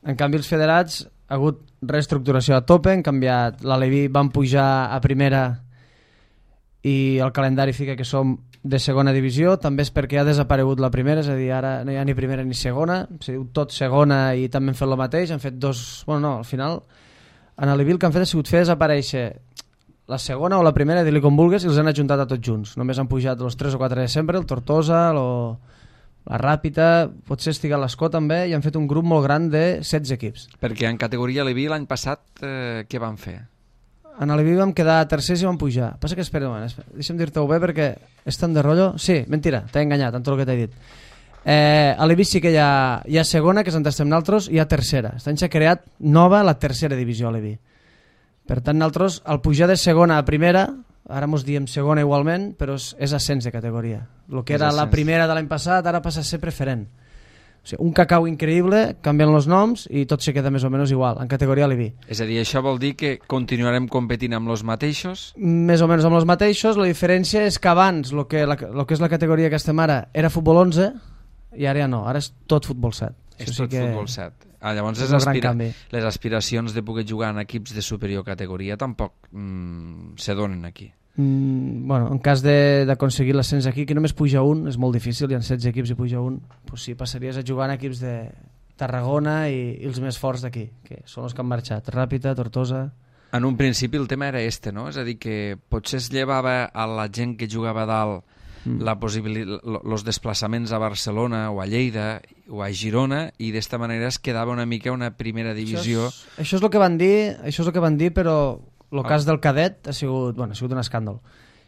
En canvi els federats ha hagut reestructuració a tope, han canviat l'Aleví, van pujar a primera i el calendari fica que som de segona divisió, també és perquè ha desaparegut la primera, és a dir, ara no hi ha ni primera ni segona, se diu tot segona i també han fet el mateix, han fet dos... Bueno, no, al final en Aleví el que han fet ha sigut fer desaparèixer la segona o la primera, dir-li com vulguis, i els han ajuntat a tots junts. Només han pujat els 3 o 4 de sempre, el Tortosa, la Ràpita, potser estigui a l'Escó també, i han fet un grup molt gran de 16 equips. Perquè en categoria Aleví l'any passat què van fer? En Aleví vam quedar tercers i vam pujar. Passa que espera un moment, deixa'm dir-te-ho bé perquè és tan de rotllo. Sí, mentira, t'he enganyat amb tot el que t'he dit. A Aleví sí que hi ha segona, que és on estem nosaltres, i hi ha tercera. Aquest any s'ha creat nova la tercera divisió a Aleví. Per tant, nosaltres, al pujar de segona a primera, ara mos diem segona igualment, però és ascens de categoria. El que era la primera de l'any passat ara passa a ser preferent. O sigui, un cacau increïble, canvien els noms i tot se queda més o menys igual, en categoria Aleví. És a dir, això vol dir que continuarem competint amb els mateixos? Més o menys amb els mateixos, la diferència és que abans el que és la categoria que estem ara era futbol 11 i ara ja no, ara és tot futbol 7. És tot futbol 7. Llavors les aspiracions de poder jugar en equips de superior categoria tampoc se donen aquí. Bueno, en cas d'aconseguir l'ascens aquí, que només puja un, és molt difícil, hi ha 16 equips i puja un, doncs sí, passaries a jugar en equips de Tarragona i els més forts d'aquí, que són els que han marxat, Ràpita, Tortosa... En un principi el tema era no? És a dir, que potser es llevava a la gent que jugava a dalt la possibilitat, els desplaçaments a Barcelona o a Lleida o a Girona, i d'esta manera es quedava una mica una primera divisió. Això és el que van dir, però el cas del cadet ha sigut un escàndol.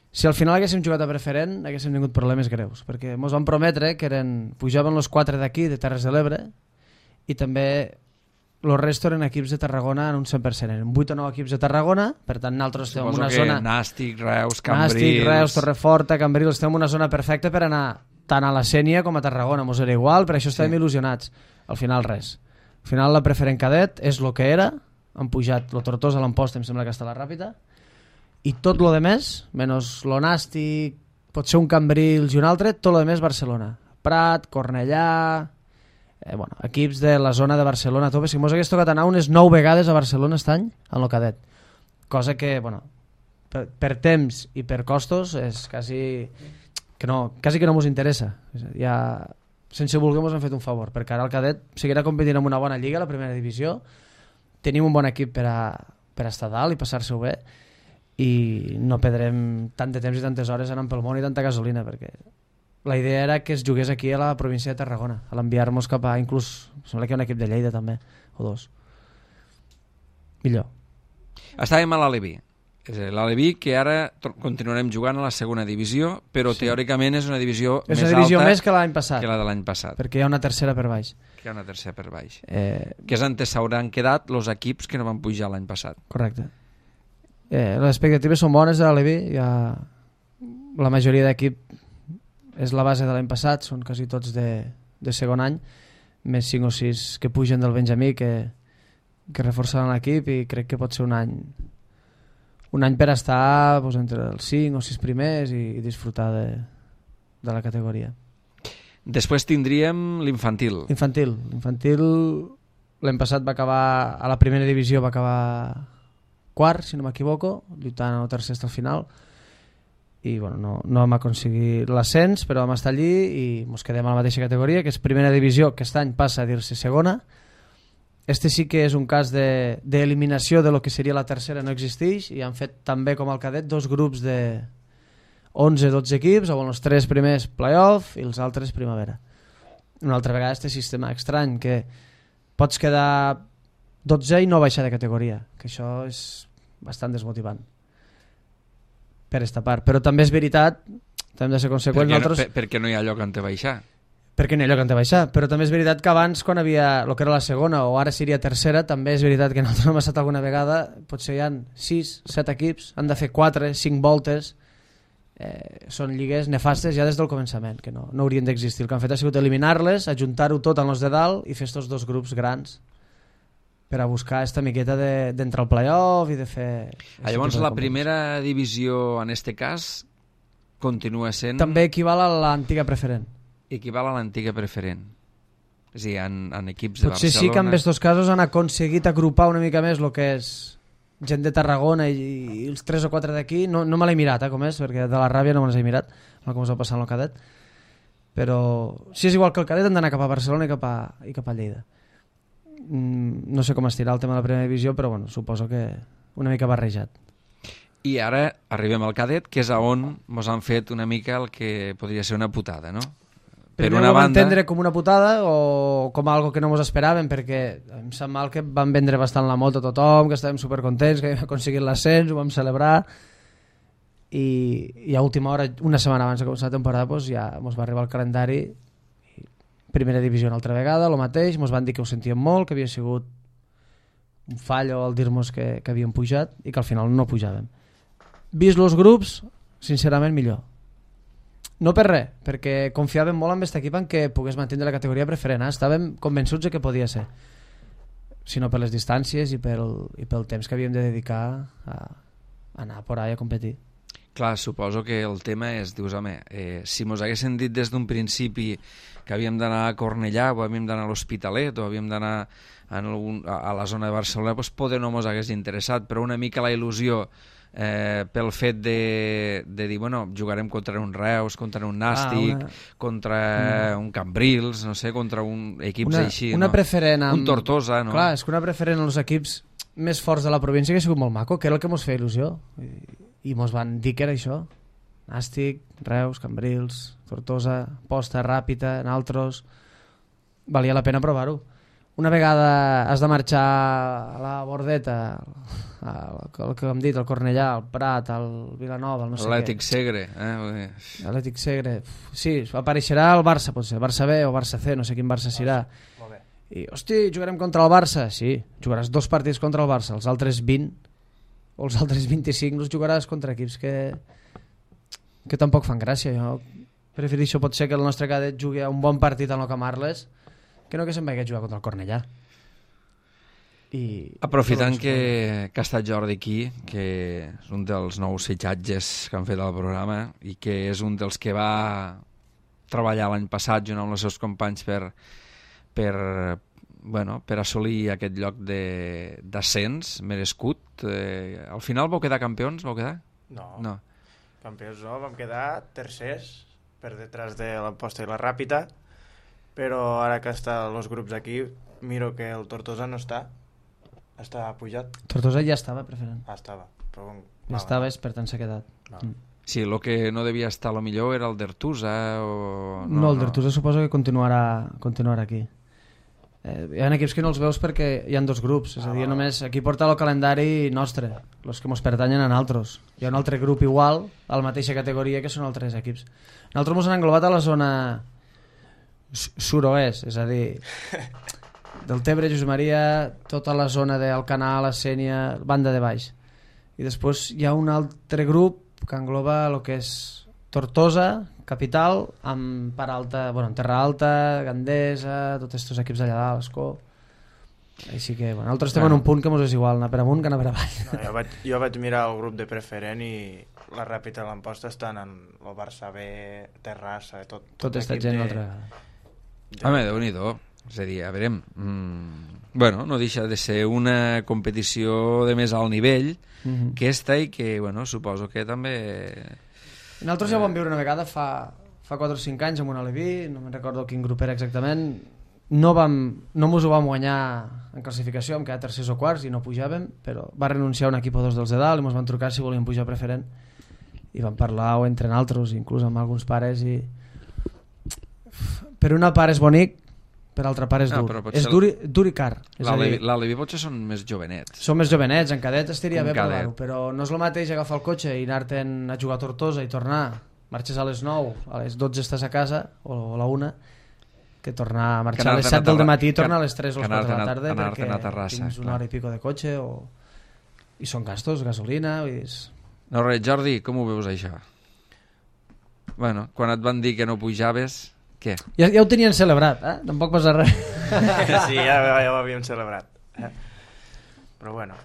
Si al final haguéssim jugat a preferent haguéssim tingut problemes greus, perquè ens van prometre que pujaven els 4 d'aquí de Terres de l'Ebre i també el resto eren equips de Tarragona en un 100%, eren 8 o 9 equips de Tarragona, per tant nosaltres estem en una zona... Nàstic, Reus, Cambrils... Reus, Torreforta, Cambrils, estem en una zona perfecta per anar tant a la Sénia com a Tarragona, mos era igual, per això estàvem il·lusionats. Al final res. Al final la preferent cadet és el que era, han pujat el Tortosa a l'Amposta, em sembla que està a la Ràpita, i tot lo de més, menys lo Nàstic, pot ser un Cambrils i un altre, tot lo de més Barcelona. Prat, Cornellà... equips de la zona de Barcelona a tope. Si mos hagués tocat anar unes 9 vegades a Barcelona aquest any en el cadet, cosa que per temps i per costos és quasi que no mos interessa. Ja, sense voler mos han fet un favor, perquè ara el cadet seguirà competint en una bona lliga, la primera divisió, tenim un bon equip per a estar dalt i passar-se-ho bé, i no perdrem tant de temps i tantes hores anant pel món i tanta gasolina, perquè la idea era que es jugués aquí a la província de Tarragona, a l'enviar-nos cap a... Inclús, sembla que hi ha un equip de Lleida també, o 2. Millor. Estàvem a l'Aleví. L'Aleví, que ara continuarem jugant a la segona divisió, però teòricament és una divisió més alta... És una divisió més que l'any passat. Que la de l'any passat. Perquè hi ha una tercera per baix. Que és on s'hauran quedat els equips que no van pujar l'any passat. Correcte. Les expectatives són bones de l'Aleví. La majoria d'equip és la base de l'any passat, són quasi tots de segon any, més 5 o 6 que pugen del Benjamí que reforçaran l'equip, i crec que pot ser un any per estar entre els 5 o 6 primers i disfrutar de la categoria. Després tindríem l'infantil. L'infantil l'any passat va acabar a la primera divisió, va acabar quart, si no m'equivoco, lluitant al tercer fins al final, i no vam aconseguir l'ascens, però vam estar allí i ens quedem a la mateixa categoria, que és primera divisió, que aquest any passa a dir-se segona, Este sí que és un cas d'eliminació de lo que seria la tercera, no existeix, i han fet també com el cadet 2 grups de 11-12 equips, on els 3 primers playoff i els altres primavera. Una altra vegada este sistema estrany, que pots quedar 12 i no baixar de categoria, que això és bastant desmotivant per esta part. Però també és veritat, també hem de ser conseqüents, perquè no hi ha lloc on te baixar. Perquè no hi ha lloc on te baixar, però també és veritat que abans, quan havia el que era la segona o ara seria tercera, també és veritat que nosaltres hem estat alguna vegada, potser hi ha 6-7 equips, han de fer 4-5 voltes, són lligues nefastes ja des del començament, que no haurien d'existir. El que han fet ha sigut eliminar-les, ajuntar-ho tot en els de dalt i fer estos 2 grups grans per a buscar esta miqueta d'entrar al playoff i de fer... Llavors la primera divisió en este cas continua sent... També equival a l'antiga preferent. Equival a l'antiga preferent. És a dir, en equips de Potser Barcelona... sí que en aquests casos han aconseguit agrupar una mica més el que és gent de Tarragona i els 3 o 4 d'aquí. No me l'he mirat, com és, perquè de la ràbia no me les he mirat, com us va passar en el cadet. Però si és igual que el cadet, han d'anar cap a Barcelona i cap a Lleida. No sé com estirà el tema de la primera divisió, però bueno, suposo que una mica barrejat. I ara arribem al cadet, que és on ens han fet una mica el que podria ser una putada, no? Per una banda... entendre com una putada o com algo que no ens esperàvem, perquè em sap mal que van vendre bastant la moto a tothom, que estàvem supercontents, que hem aconseguit l'ascens, ho vam celebrar, i a última hora, una setmana abans de començar la temporada, doncs ja ens va arribar el calendari, primera divisió una altra vegada, el mateix, ens van dir que ho sentíem molt, que havia sigut un fallo al dir-nos que havíem pujat i que al final no pujàvem. Vist els grups, sincerament millor. No per res, perquè confiàvem molt en aquest equip en què pogués mantenir la categoria preferent. Estàvem convençuts de que podia ser, sinó per les distàncies i pel temps que havíem de dedicar a anar por ahí a competir. Clar, suposo que el tema és, dius, home, si mos haguessin dit des d'un principi que havíem d'anar a Cornellà o havíem d'anar a l'Hospitalet o havíem d'anar a la zona de Barcelona, doncs poder no mos hagués interessat, però una mica la il·lusió pel fet de dir, bueno, jugarem contra un Reus, contra un Nàstic, contra un Cambrils, no sé, contra equips així, una no? Preferent amb... Un Tortosa, no? Clar, és que una preferent als equips més forts de la província que ha sigut molt maco, que era el que mos feia il·lusió. I mos van dir que era això. Nàstic, Reus, Cambrils, Tortosa, Posta, Ràpita, Naltros... Valia la pena provar-ho. Una vegada has de marxar a la Bordeta, el que hem dit, el Cornellà, el Prat, el Vilanova, el no sé què. Atlètic Segre. Atlètic Segre. Sí, apareixerà el Barça, potser. Barça B o Barça C, no sé quin Barça serà. I, hosti, jugarem contra el Barça? Sí, jugaràs 2 partits contra el Barça, els altres 20 o els altres 25 els jugaràs contra equips que tampoc fan gràcia. Jo prefereixo potser que el nostre cadet jugui a un bon partit en el Camp Arles que no que se'n vagi a jugar contra el Cornellà. Aprofitant que ha estat Jordi aquí, que és un dels nous fitxatges que han fet al programa i que és un dels que va treballar l'any passat junt amb els seus companys per assolir aquest lloc d'ascens merescut. Al final vau quedar campions? Vau quedar? No. Campions no, vam quedar tercers per detrás de l'Amposta i la Ràpita, però ara que estan els grups aquí miro que el Tortosa no està pujat. Tortosa ja estava preferent. Estava, però ja estava, per tant s'ha quedat. Sí, el que no devia estar a lo millor era el d'Ertusa o... No, el d'Ertusa suposo que continuarà aquí. Hi ha equips que no els veus perquè hi ha 2 grups, és a dir, només aquí porta el calendari nostre, els que ens pertanyen a nosaltres. Hi ha un altre grup igual, a la mateixa categoria, que són altres equips. Nosaltres ens han englobat a la zona suroest, és a dir, del Tebre, Josep Maria, tota la zona d'Alcanar, la Sénia, banda de baix. I després hi ha un altre grup que engloba el que és Tortosa, capital, amb Part Alta, bueno, Terra Alta, Gandesa, tots aquests equips d'allà dalt, Escó. Així que, bueno, nosaltres estem en un punt que ens és igual, anar per amunt que anar per avall. No, jo vaig mirar el grup de preferent i la Ràpita i l'Amposta estan en el Barça B, Terrassa, tot està gent una altra vegada. Home, Déu-n'hi-do. És a dir, a veure, bueno, no deixa de ser una competició de més alt nivell que esta i que, bueno, suposo que també... Nosaltres ja ho vam viure una vegada fa 4 o 5 anys amb un Aleví, no me'n recordo quin grup era exactament, no mos ho vam guanyar en classificació, vam quedar tercers o quarts i no pujàvem, però va renunciar un equip o dos dels de dalt i ens van trucar si volíem pujar preferent i vam parlar o entre nosaltres, inclús amb alguns pares, i per una part és bonic, per altra part és dur. És dur i car. L'Alevi potser són més jovenets. Són més jovenets, en cadet estaria bé provar-ho, però no és el mateix agafar el cotxe i anar-te'n a jugar a Tortosa i tornar, marxes a les 9, a les 12 estàs a casa, o a la 1, que tornar a marxar a les 7 del matí i tornar a les 3 o les 4 de la tarda perquè tens una hora i pico de cotxe i són gastos, gasolina No res, Jordi, com ho veus això? Bueno, quan et van dir que no pujaves, què? Ja ho tenien celebrat, tampoc passa res. Sí, ja ho havíem celebrat, però bueno,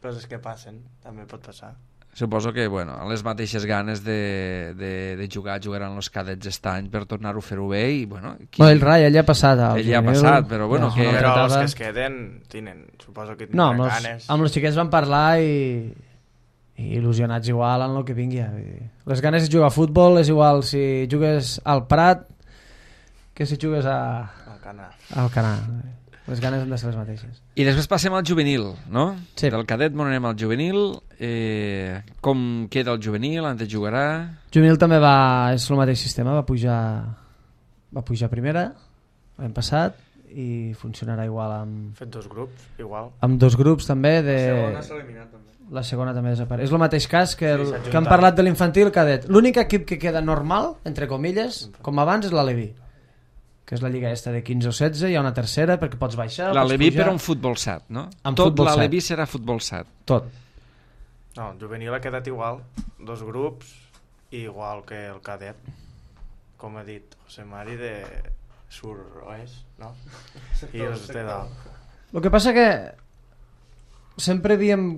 coses que passen, també pot passar. Suposo que, bueno, les mateixes ganes de jugaran els cadets aquest any per tornar-ho a fer-ho bé i, bueno... El Rai, ell ja ha passat. Ell ja ha passat, però, bueno... Però els que es queden, suposo que tindran ganes. Amb els xiquets van parlar i il·lusionats igual en el que vingui. Les ganes de jugar a futbol és igual si jugues al Prat que si jugues al Canà. Les ganes han de ser les mateixes. I després passem al juvenil, no? Sí. Del cadet anem al juvenil. Com queda el juvenil? On jugarà? Juvenil també és el mateix sistema, va pujar a primera l'any passat i funcionarà igual amb... Fet 2 grups, igual. Amb 2 grups també. La segona s'ha eliminat també. La segona també desapareix. És el mateix cas que han parlat de l'infantil cadet. L'únic equip que queda normal, entre comilles, com abans, és l'Alevi, que és la lliga esta de 15 o 16, hi ha una tercera perquè pots baixar, l'Alevi per un futbol 7, no? Tot l'Alevi serà futbol 7. Tot. No, el juvenil ha quedat igual, 2 grups, igual que el cadet. Com ha dit José Mari, de sur-oest, no? I els de dalt. El que passa que sempre havíem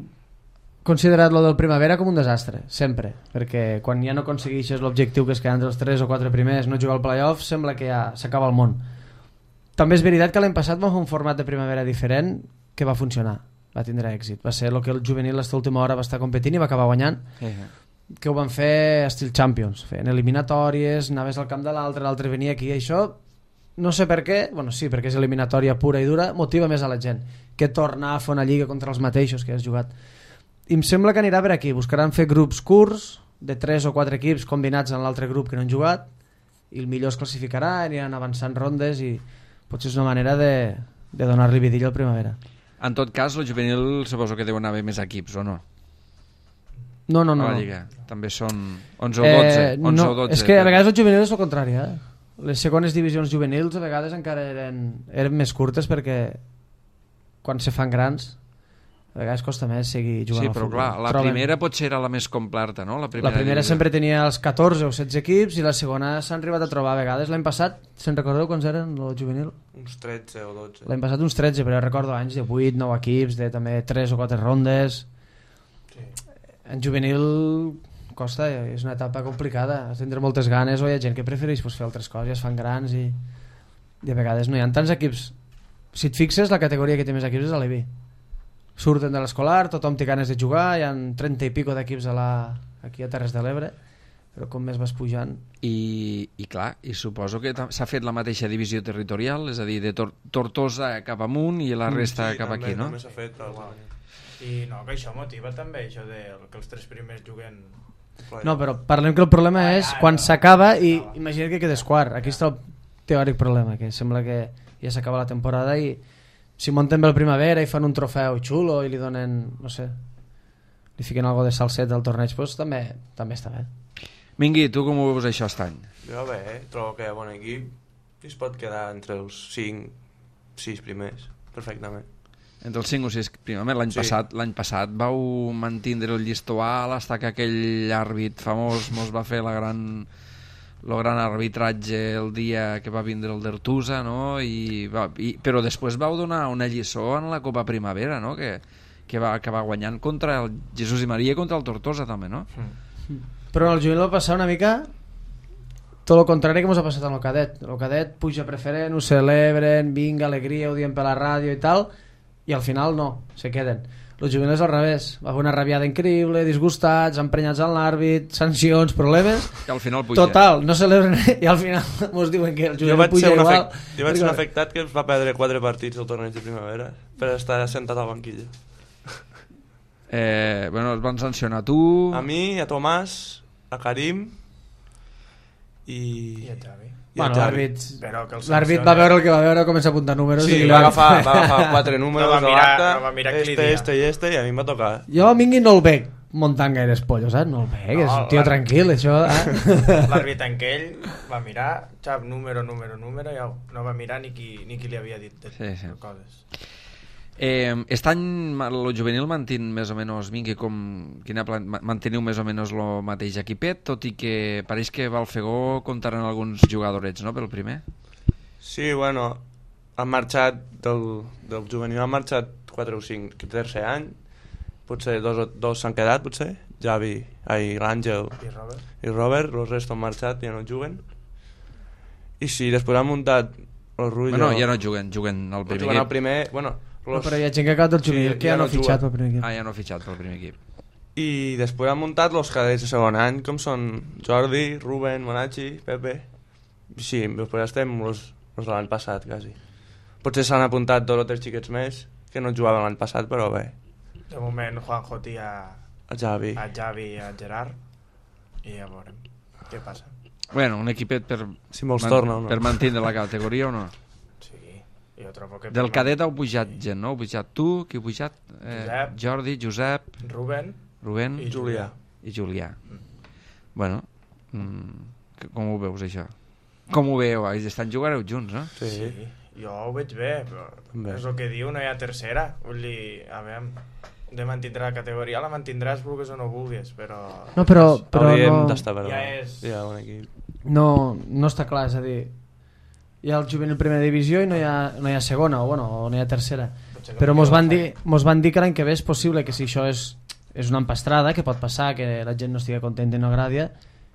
considerat lo del primavera com un desastre, sempre, perquè quan ja no aconsegueixes l'objectiu que és quedar entre els 3 o 4 primers, no jugar al playoff, sembla que ja s'acaba el món. També és veritat que l'any passat vam fer un format de primavera diferent que va funcionar, va tindre èxit, va ser el que el juvenil a l'última hora va estar competint i va acabar guanyant, que ho van fer estil Champions, feien eliminatòries, anaves al camp de l'altre venia aquí, això no sé per què, bueno sí, perquè és eliminatòria pura i dura, motiva més a la gent que tornar a fer una lliga contra els mateixos que has jugat. I em sembla que anirà per aquí, buscaran fer grups curts de 3 o 4 equips combinats en l'altre grup que no han jugat i el millor es classificarà, aniran avançant rondes i potser és una manera de donar-li vidilla al primavera. En tot cas, el juvenil suposo que deuen haver més equips, o no? No. A la lliga. També són 11 o 12. 11 o 12 és que a vegades el juvenil és el contrari, Les segones divisions juvenils a vegades encara eren més curtes perquè quan se fan grans a vegades costa més seguir jugant al futbol. Sí, però clar, la primera potser era la més completa, no? La primera sempre tenia els 14 o 16 equips i la segona s'han arribat a trobar a vegades. L'any passat, se'n recordeu quants eren el juvenil? Uns 13 o 12. L'any passat uns 13, però recordo anys de 8, 9 equips, de també 3 o 4 rondes. Sí. En juvenil costa, és una etapa complicada, has de tindre moltes ganes o hi ha gent que prefereix fer altres coses, es fan grans i a vegades no hi ha tants equips. Si et fixes, la categoria que té més equips és l'Alevi. Surten de l'escolar, tothom té ganes de jugar, hi ha 30 i pico d'equips aquí a Terres de l'Ebre, però com més vas pujant... I clar, i suposo que s'ha fet la mateixa divisió territorial, és a dir, de Tortosa cap amunt i la resta cap també, aquí, no? També s'ha fet, però... I no, que això motiva també, això de que els 3 primers juguen... No, però parlem que el problema és quan s'acaba i imagina't que quedes quart. Aquí està el teòric problema, que sembla que ja s'acaba la temporada i si munten bé el primavera i fan un trofeu xulo i li donen, no sé, li fiquen algo de salset al torneig, doncs també està bé. Mingui, tu com ho veus això aquest any? Jo bé, trobo que hi ha bon equip i es pot quedar entre els 5-6 primers, perfectament. Entre els 5 o 6 primers. L'any passat vau mantindre el llistó alt fins que aquell àrbit famós mos va fer el gran arbitratge el dia que va vindre el d'Artusa, no? Però després vau donar una lliçó en la Copa Primavera, no? Que va acabar guanyant contra el Jesús i Maria i contra el Tortosa també, no? Però el juvenil va passar una mica tot el contrari que ens ha passat amb el cadet. El cadet puja preferent, ho celebren, vinga, alegria, ho diem per la ràdio i tal, i al final no, se queden. El juvenil és al revés. Va haver una rabiada increïble, disgustats, emprenyats en l'àrbit, sancions, problemes. I al final puja. Total, no celebren i al final mos diuen que el juvenil puja igual. Jo vaig ser un afectat que va perdre 4 partits al torneig de primavera per estar sentat al banquillo. Bueno, es van sancionar tu... A mi, a Tomàs, a Karim I a Xavi. Bueno, l'àrbit L'àrbit va veure el que va veure, comença a apuntar números. Sí, i va agafar 4 números No va de mirar- l'acte, no va mirar qui li dia. i a mi em va tocar. Jo a Mingui no el veig muntant gaires pollos, saps? No el veig, és un tio tranquil, això. L'àrbit en què ell va mirar, xap, número, i no va mirar ni qui li havia dit de coses. Aquest any el juvenil mantén més o menys, Mingui, manteniu més o menys el mateix equipet, tot i que pareix que Balfegó comptaran alguns jugadorets, no?, pel primer. Sí, bueno, han marxat del juvenil, han marxat 4 o 5 que tercer any, potser dos s'han quedat, potser, Javi, l'Àngel i Robert, els restos han marxat, ja no juguen. I sí, després han muntat el Rullo... Bueno, ja no juguen al primer equip. El primer, bueno... No, però hi ha gent que ha acabat del juvenil que ja no ha fitxat pel primer equip. Ja no ha fitxat pel primer equip. I després han muntat els cadets de segon any, com són Jordi, Ruben, Monachi, Pepe... Sí, després estem els de l'any passat, quasi. Potser s'han apuntat 2 o 3 xiquets més que no jugaven l'any passat, però bé. De moment Juanjo té a Javi i a Gerard i ja veurem què passa. Bueno, un equipet per, si me'ls torna o no. Per mantenir la categoria o no? Sí, jo trobo que... Del cadet heu pujat gent, no? Heu pujat tu, qui heu pujat? Jordi, Josep... Rubén i Julià. I Julià. Bueno, com ho veus, això? Com ho veieu? Estan jugareu junts, no? Sí, jo ho veig bé, però és el que diu, no hi ha tercera. Vull dir, a veure, de mantindre la categoria, la mantindràs vulguis o no vulguis, però... No, però hauríem no... d'estar, però ja és... hi ha un equip. No està clar, és a dir, hi ha el juvenil primera divisió i no hi ha segona, o no hi ha tercera. Però mos van dir que l'any que ve és possible que si això és una empastrada, que pot passar, que la gent no estigui contenta i no agradi,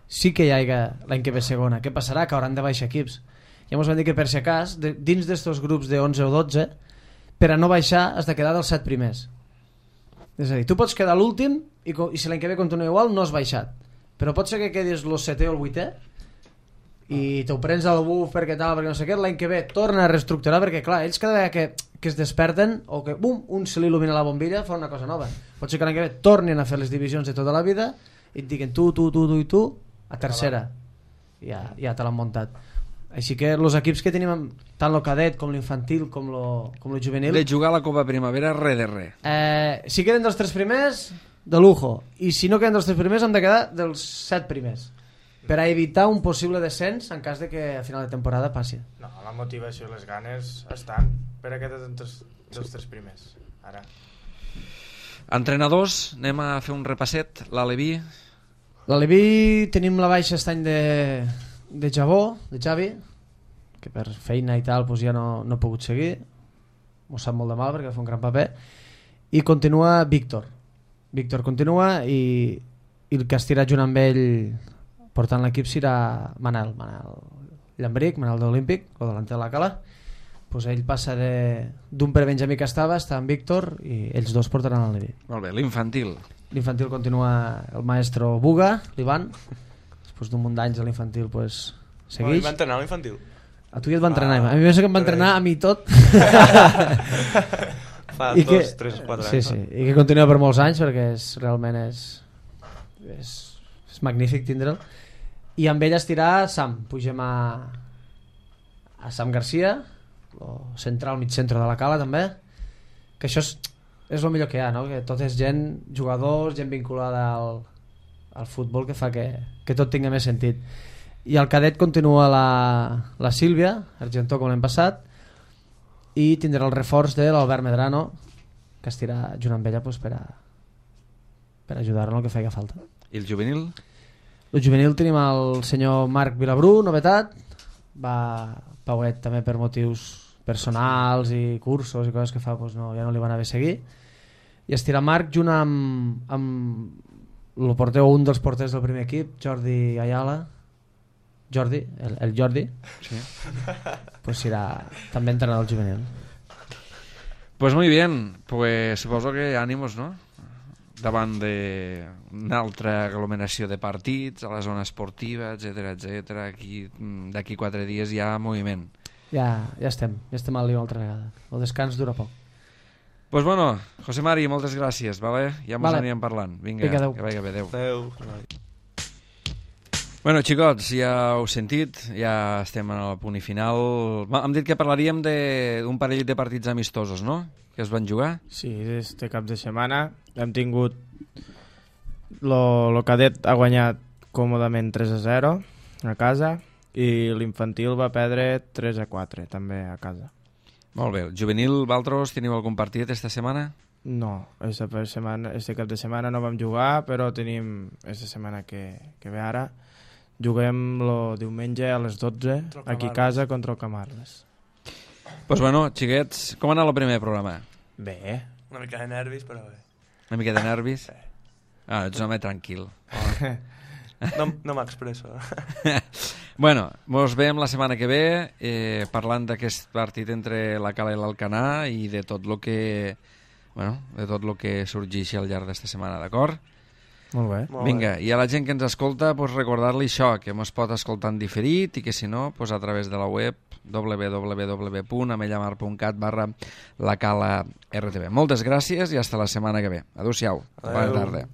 sí que hi hagi l'any que ve segona. Què passarà? Que hauran de baixar equips. Ja mos van dir que per si acas, dins d'estos grups de 11 o 12, per a no baixar has de quedar dels 7 primers. És a dir, tu pots quedar l'últim i si l'any que ve continua igual no has baixat. Però pot ser que quedis el 7è o el 8è i t'ho prens al buf perquè tal, perquè no sé què, l'any que ve torna a reestructurar, perquè clar, ells cada vegada que es desperten o que bum, un se li il·lumina la bombilla fa una cosa nova. Pot ser que l'any que ve tornin a fer les divisions de tota la vida i et diguen tu i tu a tercera. Ja te l'han muntat. Així que els equips que tenim tant el cadet com l'infantil com el juvenil de jugar a la Copa Primavera res de res. Si queden dels 3 primers de lujo, i si no queden dels 3 primers hem de quedar dels 7 primers per a evitar un possible descens en cas de que a final de temporada passi. No, la motivació i les ganes estan per a quedar dels 3 primers ara. Entrenadors, anem a fer un repasset. L'Aleví tenim la baixa aquest any de Javi, que per feina i tal doncs ja no ha pogut seguir, m'ho sap molt de mal perquè va fer un gran paper, i continua Víctor continua i el que estirà junt amb ell portant l'equip serà Manel Llambric, Manel de l'Olímpic, el delanter de la Cala. Pues ell passa d'un prebenjamí que està amb Víctor i ells dos portaran l'Aleví. Molt bé, l'infantil continua el maestro Buga, l'Ivan. Després d'un munt d'anys a l'infantil pues, segueix. Va entrenar a l'infantil? A tu ja et va entrenar, a mi que em va entrenar a mi tot. Fa 2, 3, 4 anys. Sí, i que continua per molts anys perquè realment és magnífic tindre'l. I amb ell estirà Sam, pugem a Sam Garcia, el central mig centre de la Cala també, que això és el millor que hi ha, no? Que tot és gent, jugadors, gent vinculada al futbol que fa que tot tingui més sentit. I al cadet continua la Sílvia Argentó com l'any passat i tindrà el reforç de l'Albert Medrano que estirà junt amb ella pues, per ajudar-lo en el que faci falta. I el juvenil? El juvenil tenim el senyor Marc Vilabrú, novetat, va pauet també per motius personals i cursos i coses que fa pues, ja no li van haver seguir, i estirà Marc junt amb el porter, un dels porters del primer equip, Jordi Ayala, el Jordi, sí. Pues serà també entrenador del juvenil. Pues muy bien, pues suposo que ànimos, no? Davant d'una altra aglomeració de partits, a la zona esportiva, etc. Aquí, d'aquí 4 dies hi ha moviment. Ja estem al lío altra vegada. El descans dura poc. Pues bueno, José Mari, moltes gràcies, vale? Ja mos Vale. anirem parlant. Vinga, adeu. que vagi bé, adeu. Adéu. Bueno, xicots, ja heu sentit, ja estem al punt i final. Hem dit que parlaríem d'un parell de partits amistosos, no?, que es van jugar. Sí, este cap de setmana hem tingut... Lo cadet ha guanyat còmodament 3-0 a casa i l'infantil va perdre 3-4 també a casa. Molt bé. El juvenil, vosaltres, teniu algun partit esta setmana? No, este cap de setmana no vam jugar, però tenim esta setmana que ve ara. Juguem el diumenge a les 12 aquí a casa contra el Camarles. Pues bueno, xiquets, com ha anat el primer programa? Bé. Una mica de nervis, però bé. Una mica de nervis? Sí. Ah, ets un home tranquil. No m'expresso. Bueno, mos veiem la setmana que ve parlant d'aquest partit entre la Cala i l'Alcanar i de tot el que sorgeixi al llarg d'esta setmana, d'acord? Molt bé. Vinga, i a la gent que ens escolta, pues, recordar-li això, que mos pot escoltar en diferit i que si no, pues, a través de la web www.amellamarpuntcat/lacala-rtv. Moltes gràcies i hasta la setmana que ve. Adéu-siau. Bona tarda.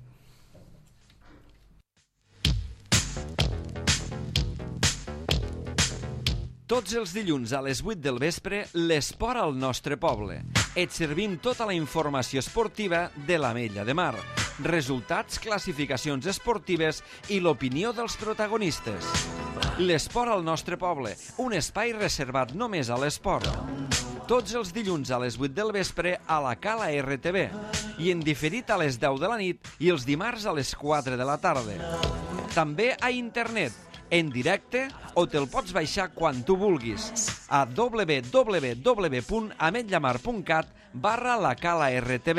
Tots els dilluns a les 8 del vespre, l'esport al nostre poble. Et servim tota la informació esportiva de l'Ametlla de Mar. Resultats, classificacions esportives i l'opinió dels protagonistes. L'esport al nostre poble, un espai reservat només a l'esport. Tots els dilluns a les 8 del vespre a la Cala RTV i en diferit a les 10 de la nit i els dimarts a les 4 de la tarda. També a internet, en directe o te'l pots baixar quan tu vulguis a www.ametllamar.cat/lacala-rtv.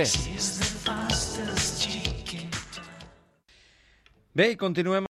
Bé, i continuem